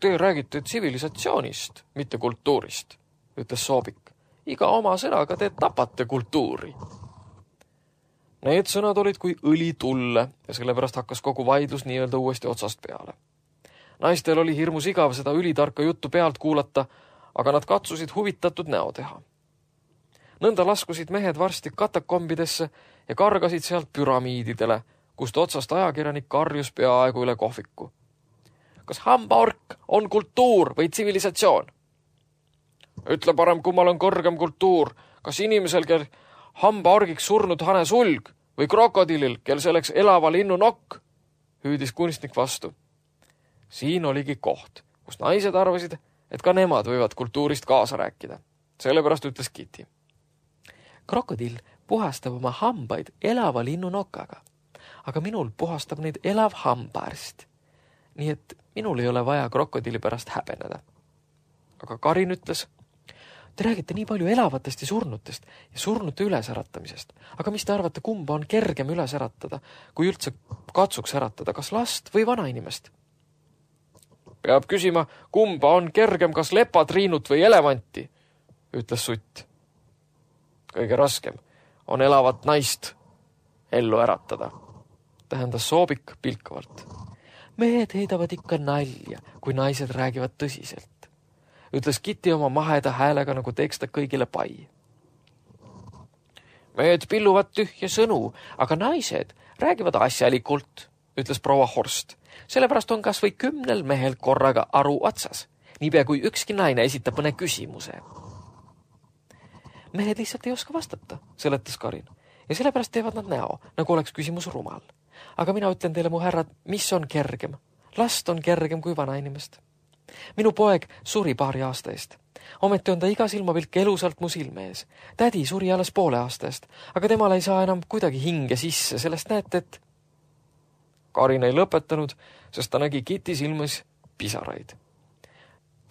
B: Te räägite tsivilisatsioonist, mitte kultuurist, ütles Soobik. Iga oma sõnaga te tapate kultuuri. Need sõnad olid kui õli tulle ja sellepärast hakkas kogu vaidlus nii-öelda uuesti otsast peale. Naistel oli hirmus igav seda ülitarka juttu pealt kuulata, aga nad katsusid huvitatud näo teha. Nõnda laskusid mehed varsti katakombidesse ja kargasid sealt püramiididele, kust otsast ajakirjanik karjus peaaegu üle kohviku. Kas hambaork on kultuur või tsivilisatsioon? Ütle parem, kummal on kõrgem kultuur, kas inimesel, kel hambaorgiks surnud hane sulg või krokodillil, kel selleks elava linnu nokk, hüüdis kunstnik vastu. Siin oligi koht, kus naised arvasid, et ka nemad võivad kultuurist kaasa rääkida. Sellepärast ütles Kitty. Krokodill puhastab oma hambaid elava linnu nokaga, aga minul puhastab neid elav hambaarst. Nii et minul ei ole vaja krokodilli pärast häbeneda. Aga Karin ütles, te räägite nii palju elavatest ja surnute ülesäratamisest. Aga mis te arvate, kumba on kergem üles äratada, kui üldse katsuks äratada, kas last või vanainimest? Peab küsima, kumba on kergem, kas lepatriinut või elevanti, ütles Sutt. Kõige raskem on elavat naist ellu äratada, tähendas Soobik pilkavalt. Mehed heidavad ikka nalja, kui naised räägivad tõsiselt, ütles Kitty oma maheda häälega, nagu teeks ta kõigile pai. Mehed pilluvad tühja sõnu, aga naised räägivad asjalikult, ütles proua Horst. Sellepärast on kas või 10 mehel korraga aru otsas, niipea kui ükski naine esitab mõne küsimuse. Mehed lihtsalt ei oska vastata, seletas Karin, ja sellepärast teevad nad näo, nagu oleks küsimus rumal. Aga mina ütlen teile, mu härrad, mis on kergem? Last on kergem kui vanainimest. Minu poeg suri paari aasta eest. Ometi on ta iga silmapilk elusalt mu silme ees. Tädi suri alles poole aasta eest, aga temal ei saa enam kuidagi hinge sisse, sellest näete, et... Karin ei lõpetanud, sest ta nägi Kitty silmas pisaraid.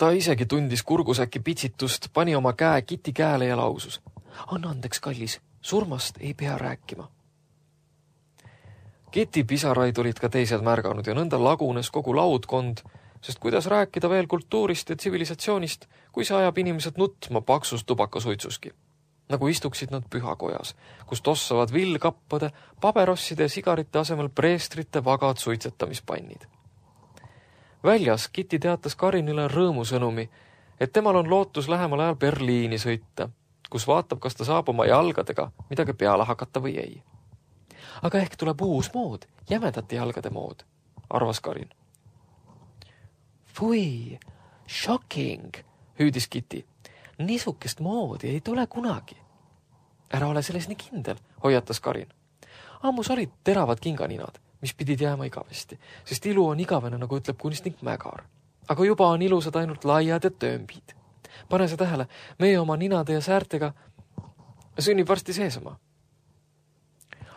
B: Ta isegi tundis kurgusäki pitsitust, pani oma käe Kitty käele ja lausus. Anna andeks, kallis, surmast ei pea rääkima. Kitty pisaraid olid ka teised märganud ja nõnda lagunes kogu laudkond, sest kuidas rääkida veel kultuurist ja tsivilisatsioonist, kui see ajab inimesed nutma paksus tubakasuitsuski. Nagu istuksid nad pühakojas, kus tossavad villkappade, paberosside ja sigarite asemel preestrite vagad suitsetamispannid. Väljas Kitty teatas Karinile rõõmusõnumi, et temal on lootus lähemal ajal Berliini sõita, kus vaatab, kas ta saab oma jalgadega midagi peale hakata või ei. Aga ehk tuleb uus mood, jämedate jalgade mood, arvas Karin. Fui, shocking, hüüdis Kitty. Niisukest moodi ei tule kunagi. Ära ole selles nii kindel, hoiatas Karin. Ammus olid teravad kinganinad, mis pidid jääma igavesti, sest ilu on igavene, nagu ütleb kunstnik Mägar. Aga juba on ilusad ainult laiad ja töömbid. Pane see tähele, meie oma ninade ja säärtega sünnib varsti seesama.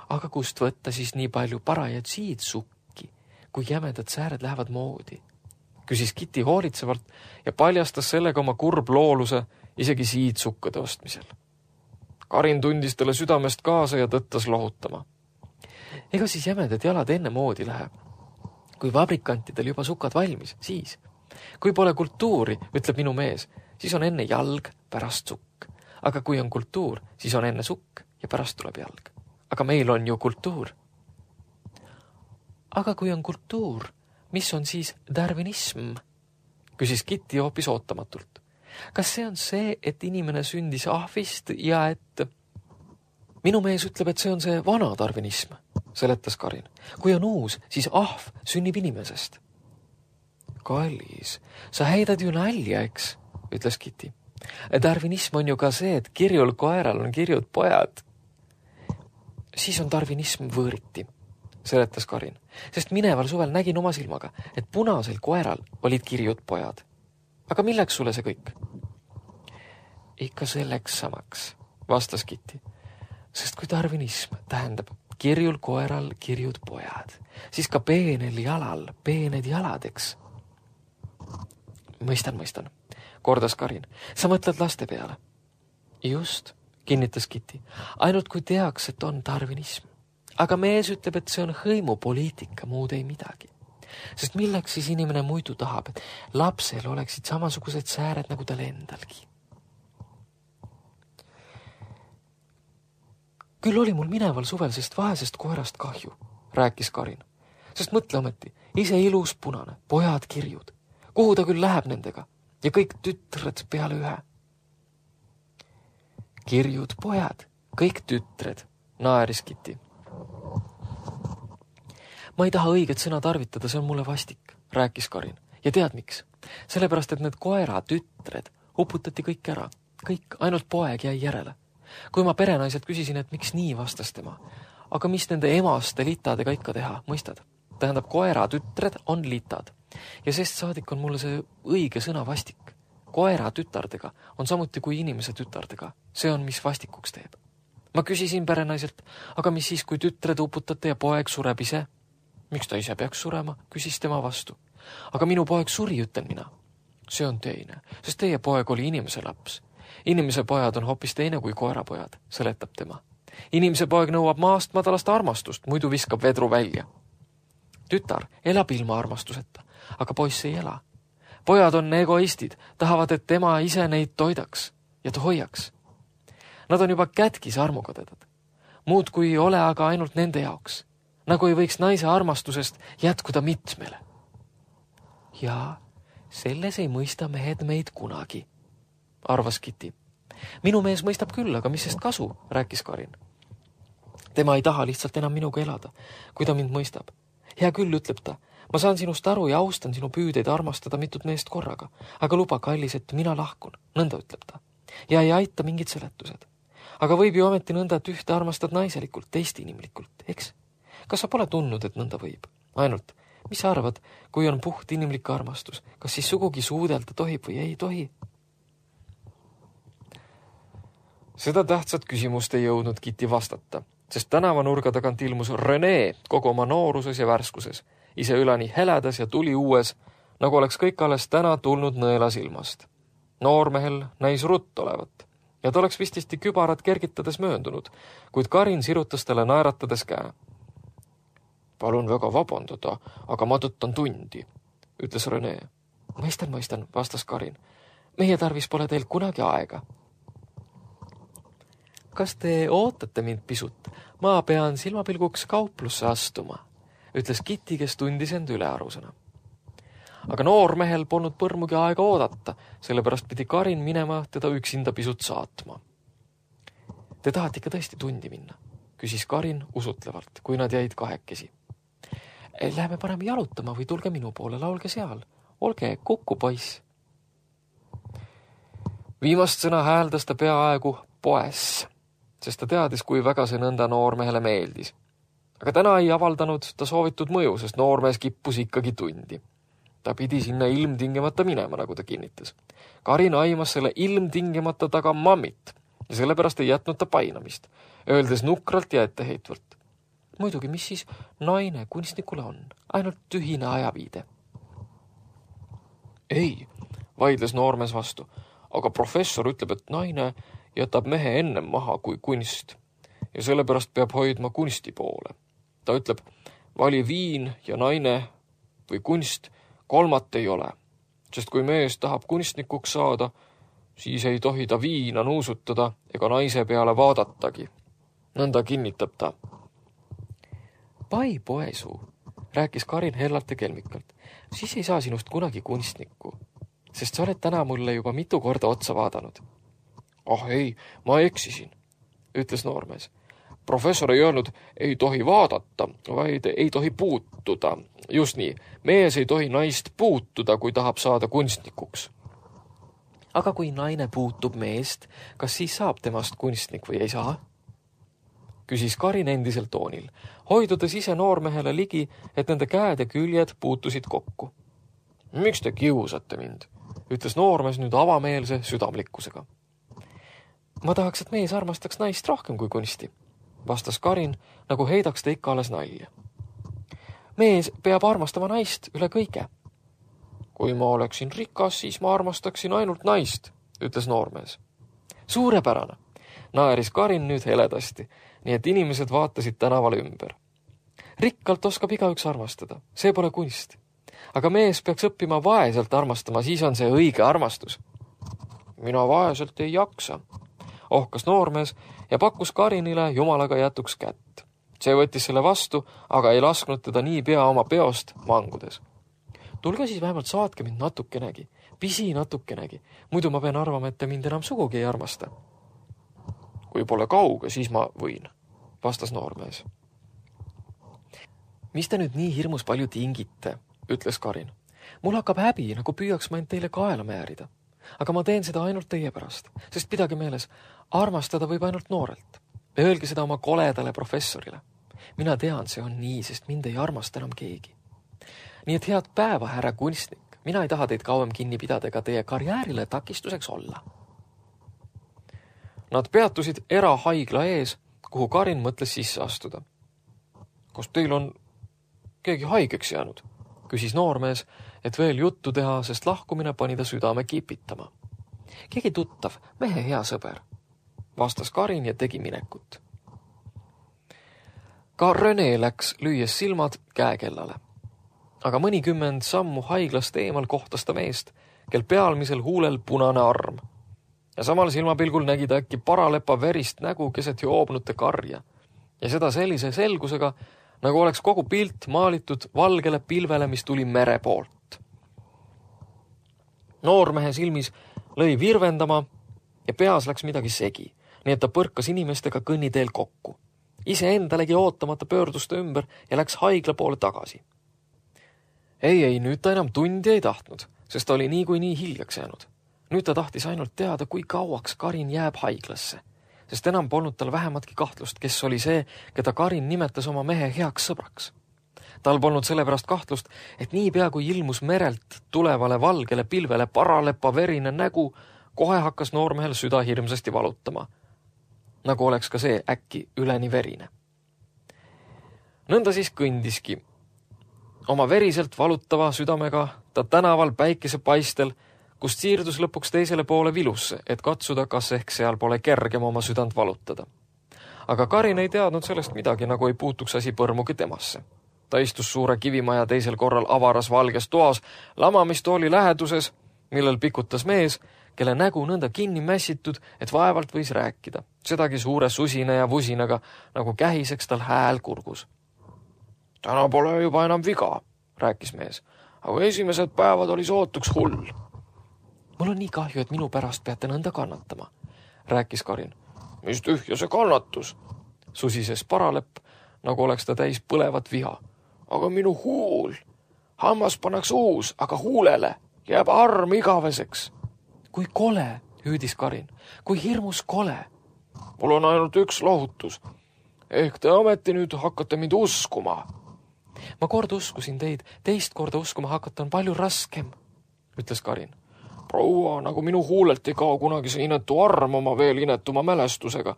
B: Aga kust võtta siis nii palju parajaid siidsukki, kui jämedad sääred lähevad moodi? Küsis Kitty hoolitsevalt ja paljastas sellega oma kurb looluse isegi siidsukkade ostmisel. Karin tundis talle südamest kaasa ja tõttas lohutama. Ega siis jämedad jalad enne moodi lähe. Kui vabrikantidel juba sukad valmis, siis. Kui pole kultuuri, ütleb minu mees, siis on enne jalg, pärast sukk. Aga kui on kultuur, siis on enne sukk ja pärast tuleb jalg. Aga meil on ju kultuur. Aga kui on kultuur, mis on siis darwinism? Küsis Kitty hoopis ootamatult. Kas see on see, et inimene sündis ahvist ja et... Minu mees ütleb, et see on see vana darwinism, seletas Karin. Kui on uus, siis ahv sünnib inimesest. Kallis, sa heidad ju nalja, eks, ütles Kitty. Darwinism on ju ka see, et kirjul koeral on kirjud pojad. Siis on darwinism võõriti, seletas Karin, sest mineval suvel nägin oma silmaga, et punasel koeral olid kirjud pojad. Aga milleks sulle see kõik? Ikka selleks samaks, vastas Kitty, sest kui darwinism tähendab kirjul koeral kirjud pojad, siis ka peenel jalal peened jaladeks. Mõistan, kordas Karin. Sa mõtled laste peale? Just, kinnitas Kitty, ainult kui teaks, et on darwinism. Aga mees ütleb, et see on hõimupoliitika, muud ei midagi. Sest milleks siis inimene muidu tahab, et lapsel oleksid samasugused sääred nagu tal endalgi. Küll oli mul mineval suvel sest vahesest koerast kahju, rääkis Karin. Sest mõtle ometi, ise ilus punane, pojad kirjud. Kuhu ta küll läheb nendega? Ja kõik tütred peale ühe. Kirjud pojad, kõik tütred, naeris Kitty. Ma ei taha õiget sõna tarvitada, see on mulle vastik, rääkis Karin. Ja tead miks? Sellepärast, et need koera tütred uputati kõik ära. Kõik, ainult poeg jäi järele. Kui ma perenaiselt küsisin, et miks nii, vastas tema. Aga mis nende emaste litadega ikka teha, mõistad? Tähendab, koera tütred on litad. Ja sest saadik on mulle see õige sõna vastik. Koera tütardega on samuti kui inimese tütardega. See on, mis vastikuks teeb. Ma küsisin perenaiselt, aga mis siis, kui tütred uputate ja poeg sureb ise? Miks ta ise peaks surema, küsis tema vastu. Aga minu poeg suri, ütlen mina. See on teine, sest teie poeg oli inimese laps. Inimese pojad on hoopis teine kui koerapojad, seletab tema. Inimese poeg nõuab maast madalast armastust, muidu viskab vedru välja. Tütar elab ilma armastuseta, aga poiss ei ela. Pojad on egoistid, tahavad, et tema ise neid toidaks ja hoiaks. Nad on juba kätkis armukadedad. Muud kui ole aga ainult nende jaoks. Nagu ei võiks naise armastusest jätkuda mitmele. Ja selles ei mõista mehed meid kunagi, arvas Kitty. Minu mees mõistab küll, aga mis sest kasu, rääkis Karin. Tema ei taha lihtsalt enam minuga elada, kui ta mind mõistab. Hea küll, ütleb ta, ma saan sinust aru ja austan sinu püüdeid armastada mitut meest korraga, aga luba, kallis, et mina lahkun, nõnda ütleb ta. Ja ei aita mingid seletused. Aga võib ju ometi nõnda, et ühte armastad naiselikult, teist inimlikult, eks? Kas sa pole tundnud, et nõnda võib? Ainult, mis sa arvad, kui on puht inimlik armastus, kas siis sugugi suudelda tohib või ei tohi? Seda tähtsat küsimust ei jõudnud Kitty vastata, sest tänavanurga tagant ilmus René kogu oma nooruses ja värskuses, ise ülani heledas ja tuli uues, nagu oleks kõik alles täna tulnud nõela silmast. Noormehel näis rutt olevat ja ta oleks vististi kübarad kergitades mööndunud, kuid Karin sirutas talle naeratades käe. Palun väga vabandada, aga ma tõttan tundi, ütles René. Mõistan, vastas Karin. Meie tarvis pole teil kunagi aega. Kas te ootate mind pisut? Ma pean silmapilguks kauplusse astuma, ütles Kitty, kes tundis end ülearusena. Aga noormehel polnud põrmugi aega oodata, sellepärast pidi Karin minema teda üksinda pisut saatma. Te tahate ikka tõesti tundi minna, küsis Karin usutlevalt, kui nad jäid kahekesi. Läheme parem jalutama või tulge minu poole, laulge seal. Olge kukku, poiss. Viimast sõna hääldas ta peaaegu poes, sest ta teadis, kui väga see nõnda noormehele meeldis. Aga täna ei avaldanud ta soovitud mõju, sest noormees kippus ikkagi tundi. Ta pidi sinna ilmtingimata minema, nagu ta kinnitas. Karin aimas selle ilmtingimata taga mammit ja sellepärast ei jätnud ta painamist, öeldes nukralt ja etteheitvalt. Muidugi, mis siis naine kunstnikule on? Ainult tühine ajaviide. Ei, vaidles noormees vastu, aga professor ütleb, et naine jätab mehe ennem maha kui kunst ja sellepärast peab hoidma kunsti poole. Ta ütleb, vali viin ja naine või kunst, kolmat ei ole, sest kui mees tahab kunstnikuks saada, siis ei tohi ta viina nuusutada ega naise peale vaadatagi. Nõnda kinnitab ta. Pai poesuu, rääkis Karin hellalt ja kelmikalt, siis ei saa sinust kunagi kunstnikku, sest sa oled täna mulle juba mitu korda otsa vaadanud. Ah ei, ma eksisin, ütles noormees. Professor ei öelnud, ei tohi vaadata, vaid ei tohi puutuda. Just nii, mees ei tohi naist puutuda, kui tahab saada kunstnikuks. Aga kui naine puutub meest, kas siis saab temast kunstnik või ei saa? Küsis Karin endisel toonil, hoidudes ise noormehele ligi, et nende käed ja küljed puutusid kokku. Miks te kiusate mind? Ütles noormees nüüd avameelse südamlikkusega. Ma tahaks, et mees armastaks naist rohkem kui kunsti, vastas Karin, nagu heidaks ta ikka alles nalja. Mees peab armastama naist üle kõige. Kui ma oleksin rikas, siis ma armastaksin ainult naist, ütles noormees. Suurepärane, naeris Karin nüüd heledasti, nii et inimesed vaatasid tänavale ümber. Rikkalt oskab igaüks armastada, see pole kunst. Aga mees peaks õppima vaeselt armastama, siis on see õige armastus. Mina vaeselt ei jaksa, ohkas noormees ja pakkus Karinile jumalaga jätuks kätt. See võttis selle vastu, aga ei lasknud teda nii pea oma peost mangudes. Tulge siis vähemalt saatke mind natukenegi, pisi natukenegi, muidu ma pean arvama, et te mind enam sugugi ei armasta. Kui pole kauge, siis ma võin, vastas noormees. Mis te nüüd nii hirmus palju tingite, ütles Karin. Mul hakkab häbi, nagu püüaks ma end teile kaela määrida. aga ma teen seda ainult teie pärast, sest pidage meeles, armastada võib ainult noorelt. Öelge seda oma koledale professorile. Mina tean, see on nii, sest mind ei armasta enam keegi. Nii et head päeva, härra kunstnik. Mina ei taha teid kauem kinni pidada ega teie karjäärile takistuseks olla. Nad peatusid erahaigla ees, kuhu Karin mõtles sisse astuda. Kas teil on keegi haigeks jäänud? Küsis noormees, et veel juttu teha, sest lahkumine pani ta südame kipitama. Keegi tuttav, mehe hea sõber, vastas Karin ja tegi minekut. Ka Rene läks lüües silmad käekellale. Aga mõnikümmend sammu haiglast eemal kohtas ta meest, kel pealmisel huulel punane arm. Ja samal silmapilgul nägi ta äkki paralepa verist nägu keset joobnute karja. Ja seda sellise selgusega, nagu oleks kogu pilt maalitud valgele pilvele, mis tuli mere poolt. Noormehe silmis lõi virvendama ja peas läks midagi segi, nii et ta põrkas inimestega kõnniteel kokku. Ise endalegi ootamata pöördus ta ümber ja läks haigla poole tagasi. Ei, nüüd ta enam tundi ei tahtnud, sest ta oli nii hiljaks jäänud. Nüüd ta tahtis ainult teada, kui kauaks Karin jääb haiglasse, sest enam polnud tal vähematki kahtlust, kes oli see, keda Karin nimetas oma mehe heaks sõbraks. Tal polnud sellepärast kahtlust, et niipea kui ilmus merelt tulevale valgele pilvele paralepa verine nägu, kohe hakkas noormehel süda hirmsasti valutama. Nagu oleks ka see äkki üleni verine. Nõnda siis kõndiski. Oma veriselt valutava südamega ta tänaval päikesepaistel, kust siirdus lõpuks teisele poole vilusse, et katsuda, kas ehk seal pole kergem oma südant valutada. Aga Karin ei teadnud sellest midagi, nagu ei puutuks asi põrmugi temasse. Ta istus suure kivimaja teisel korral avaras valges toas, lamamistooli läheduses, millel pikutas mees, kelle nägu nõnda kinni mässitud, et vaevalt võis rääkida. Sedagi suure susina ja vusinaga, nagu kähiseks tal hääl kurgus. Täna pole juba enam viga, rääkis mees, aga esimesed päevad oli sootuks hull. Mul on nii kahju, et minu pärast peate nõnda kannatama, rääkis Karin. Mis tühja see kannatus, susises paralepp, nagu oleks ta täis põlevat viha. Aga minu huul, hammas pannaks uus, aga huulele jääb arm igaveseks. Kui kole, hüüdis Karin, kui hirmus kole. Mul on ainult üks lohutus. Ehk te ometi nüüd hakkate mind uskuma. Ma kord uskusin teid, teist korda uskuma hakata on palju raskem, ütles Karin. Proua, nagu minu huulelt ei kao kunagi see inetu arm oma veel inetuma mälestusega.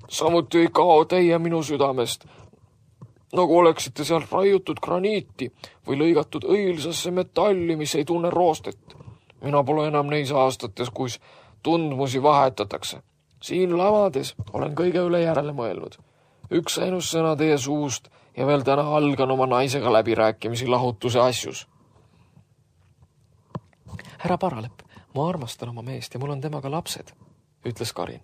B: Samuti ei kao teie minu südamest, nagu oleksite seal raiutud graniiti või lõigatud õilsasse metalli, mis ei tunne roostet. Mina pole enam neis aastates, kus tundmusi vahetatakse. Siin lavades olen kõige üle järele mõelnud. Üks ainus sõna teie suust ja veel täna algan oma naisega läbirääkimisi lahutuse asjus. Härra Paralepp, ma armastan oma meest ja mul on temaga lapsed, ütles Karin.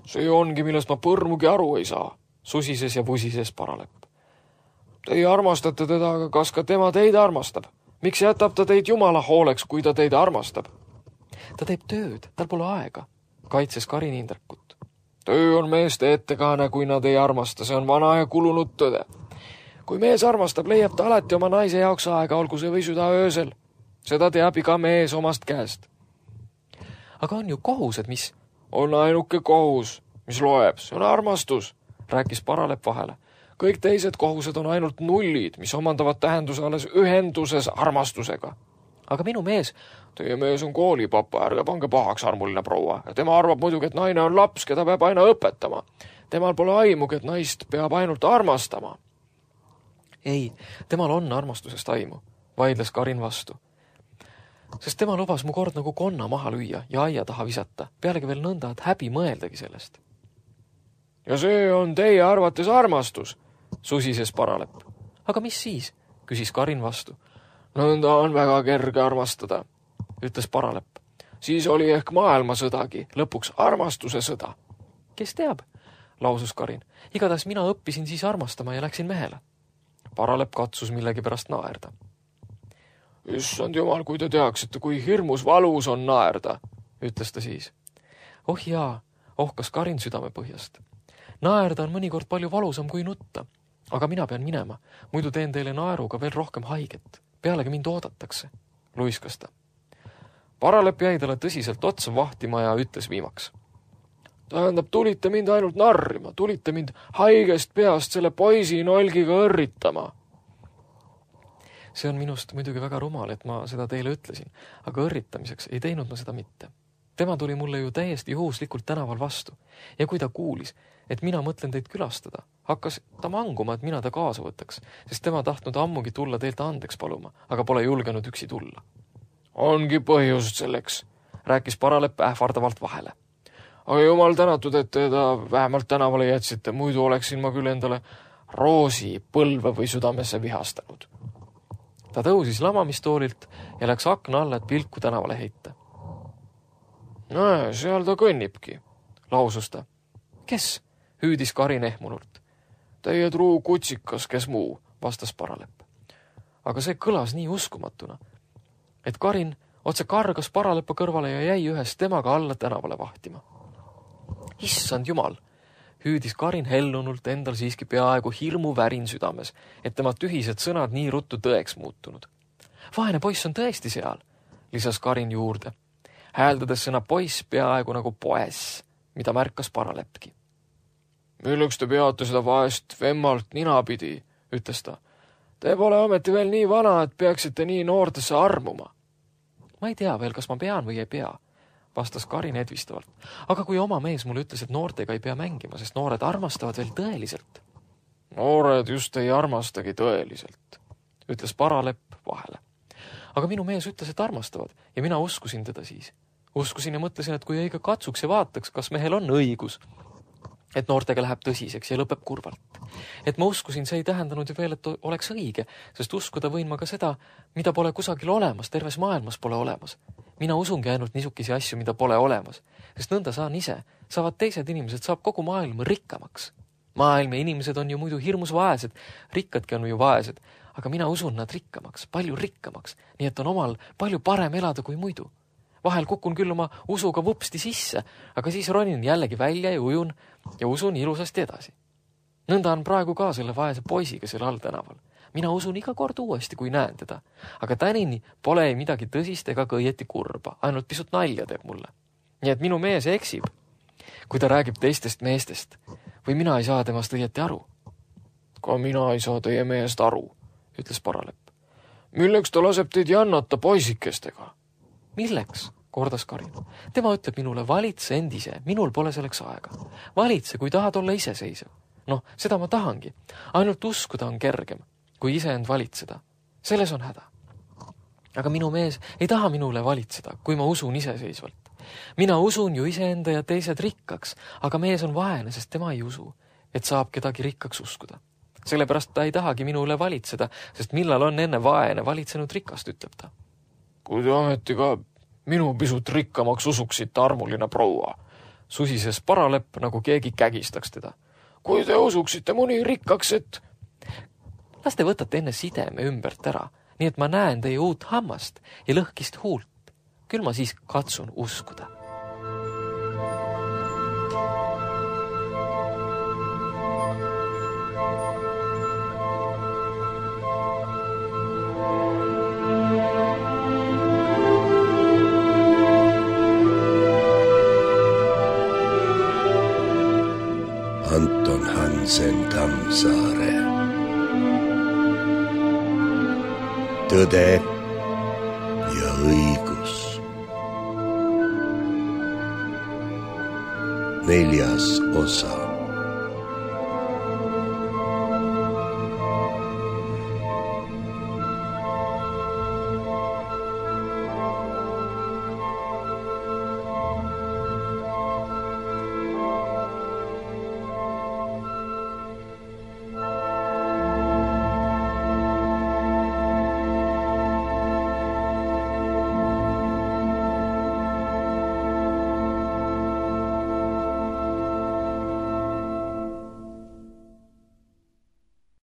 B: See ongi, millest ma põrmugi aru ei saa, susises ja vusises Paralepp. Teie armastate teda, aga kas ka tema teid armastab? Miks jätab ta teid jumala hooleks, kui ta teid armastab? Ta teeb tööd, tal pole aega, kaitses Karin Indrekut. Töö on meeste ettekaane, kui nad ei armasta, see on vana ja kulunud tõde. Kui mees armastab, leiab ta alati oma naise jaoks aega, olgu see või süda öösel. Seda teab iga mees omast käest. Aga on ju kohused, mis? On ainuke kohus, mis loeb, see on armastus, rääkis Paralepp vahele. Kõik teised kohused on ainult nullid, mis omandavad tähenduse alles ühenduses armastusega. Aga minu mees... Teie mees on koolipapa, ärge pange pahaks, armuline proua. Ja tema arvab muidugi, et naine on laps, keda peab aina õpetama. Temal pole aimugi, et naist peab ainult armastama. Ei, temal on armastusest aimu, vaidles Karin vastu. Sest tema lubas mu kord nagu konna maha lüüa ja aia taha visata, pealegi veel nõnda, et häbi mõeldagi sellest. Ja see on teie arvates armastus, susises Paralepp. Aga mis siis, küsis Karin vastu. Nõnda on väga kerge armastada, ütles Paralepp. Siis oli ehk maailmasõdagi, lõpuks armastuse sõda. Kes teab, lausus Karin. Igatahes mina õppisin siis armastama ja läksin mehele. Paralepp katsus millegipärast naerda. Issand jumal, kui te teaksite, kui hirmus valus on naerda, ütles ta siis. Oh jaa, ohkas Karin südame põhjast. Naerda on mõnikord palju valusam kui nutta, aga mina pean minema, muidu teen teile naeruga veel rohkem haiget. Pealegi mind oodatakse, luiskas ta. Paralepp jäi talle tõsiselt otsa vahtima ja ütles viimaks. Tähendab, tulite mind ainult narrima, tulite mind haigest peast selle poisi nolgiga õrritama. See on minust muidugi väga rumal, et ma seda teile ütlesin, aga õrritamiseks ei teinud ma seda mitte. Tema tuli mulle ju täiesti juhuslikult tänaval vastu ja kui ta kuulis, et mina mõtlen teid külastada, hakkas ta manguma, et mina ta kaasa võtaks, sest tema tahtnud ammugi tulla teilt andeks paluma, aga pole julgenud üksi tulla. Ongi põhjust selleks, rääkis Paralepp ähvardavalt vahele. Aga jumal tänatud, et teda vähemalt tänavale jätsite, muidu oleksin ma küll endale roosi põlve või südamesse vihastanud. Ta tõusis lamamistoolilt ja läks akna alla, et pilku tänavale heita. Näe, seal ta kõnnibki, lausus ta. Kes? Hüüdis Karin ehmunult. Teie truu kutsikas, kes muu, vastas Paralepp. Aga see kõlas nii uskumatuna, et Karin otse kargas Paraleppa kõrvale ja jäi ühes temaga alla tänavale vahtima. Issand jumal, hüüdis Karin hellunult endal siiski peaaegu hirmu värin südames, et tema tühised sõnad nii ruttu tõeks muutunud. Vaene poiss on tõesti seal, lisas Karin juurde, hääldades sõna poiss peaaegu nagu poes, mida märkas Paraleppki. Milleks te peate seda vaest vemmalt ninapidi, ütles ta. Te pole ometi veel nii vana, et peaksite nii noortesse armuma. Ma ei tea veel, kas ma pean või ei pea, vastas Karin edvistavalt. Aga kui oma mees mulle ütles, et noortega ei pea mängima, sest noored armastavad veel tõeliselt. Noored just ei armastagi tõeliselt, ütles Paralepp vahele. Aga minu mees ütles, et armastavad ja mina uskusin teda siis. Uskusin ja mõtlesin, et kui õige katsuks ja vaataks, kas mehel on õigus, et noortega läheb tõsiseks ja lõpeb kurvalt. Et ma uskusin, see ei tähendanud ju veel, et oleks õige, sest uskuda võin ma ka seda, mida pole kusagil olemas, terves maailmas pole olemas. Mina usungi ainult niisugisi asju, mida pole olemas, sest nõnda saan ise, saavad teised inimesed, saab kogu maailm rikkamaks. Maailm ja inimesed on ju muidu hirmus vaesed, rikkadki on ju vaesed, aga mina usun nad rikkamaks, palju rikkamaks, nii et on omal palju parem elada kui muidu. Vahel kukun küll oma usuga vupsti sisse, aga siis ronin jällegi välja ja ujun ja usun ilusasti edasi. Nõnda on praegu ka selle vaese poisiga selle all tänaval. Mina usun iga kord uuesti, kui näen teda. Aga tänini pole ei midagi tõsist ega ka õieti kurba, ainult pisut nalja teeb mulle. Nii et minu mees eksib, kui ta räägib teistest meestest. Või mina ei saa temast õieti aru. Ka mina ei saa teie meest aru, ütles Paralepp. Milleks ta laseb teid jannata poisikestega? Milleks? Kordas Karin. Tema ütleb minule, valitse endise, minul pole selleks aega. Valitse, kui tahad olla iseseisev. Noh, seda ma tahangi. Ainult uskuda on kergem, kui ise end valitseda. Selles on häda. Aga minu mees ei taha minule valitseda, kui ma usun iseseisvalt. Mina usun ju iseenda ja teised rikkaks, aga mees on vaene, sest tema ei usu, et saab kedagi rikkaks uskuda. Sellepärast ta ei tahagi minule valitseda, sest millal on enne vaene valitsenud rikast, ütleb ta. Kui te ometi ka minu pisut rikkamaks usuksite, armuline proua, susises Paralepp, nagu keegi kägistaks teda. Kui te usuksite muni rikkaks, et... Las te võtate enne sideme ümbert ära, nii et ma näen teie uut hammast ja lõhkist huult. Küll ma siis katsun uskuda.
A: Anton Hansen Tammsaare. Tõde ja õigus. 4. osa.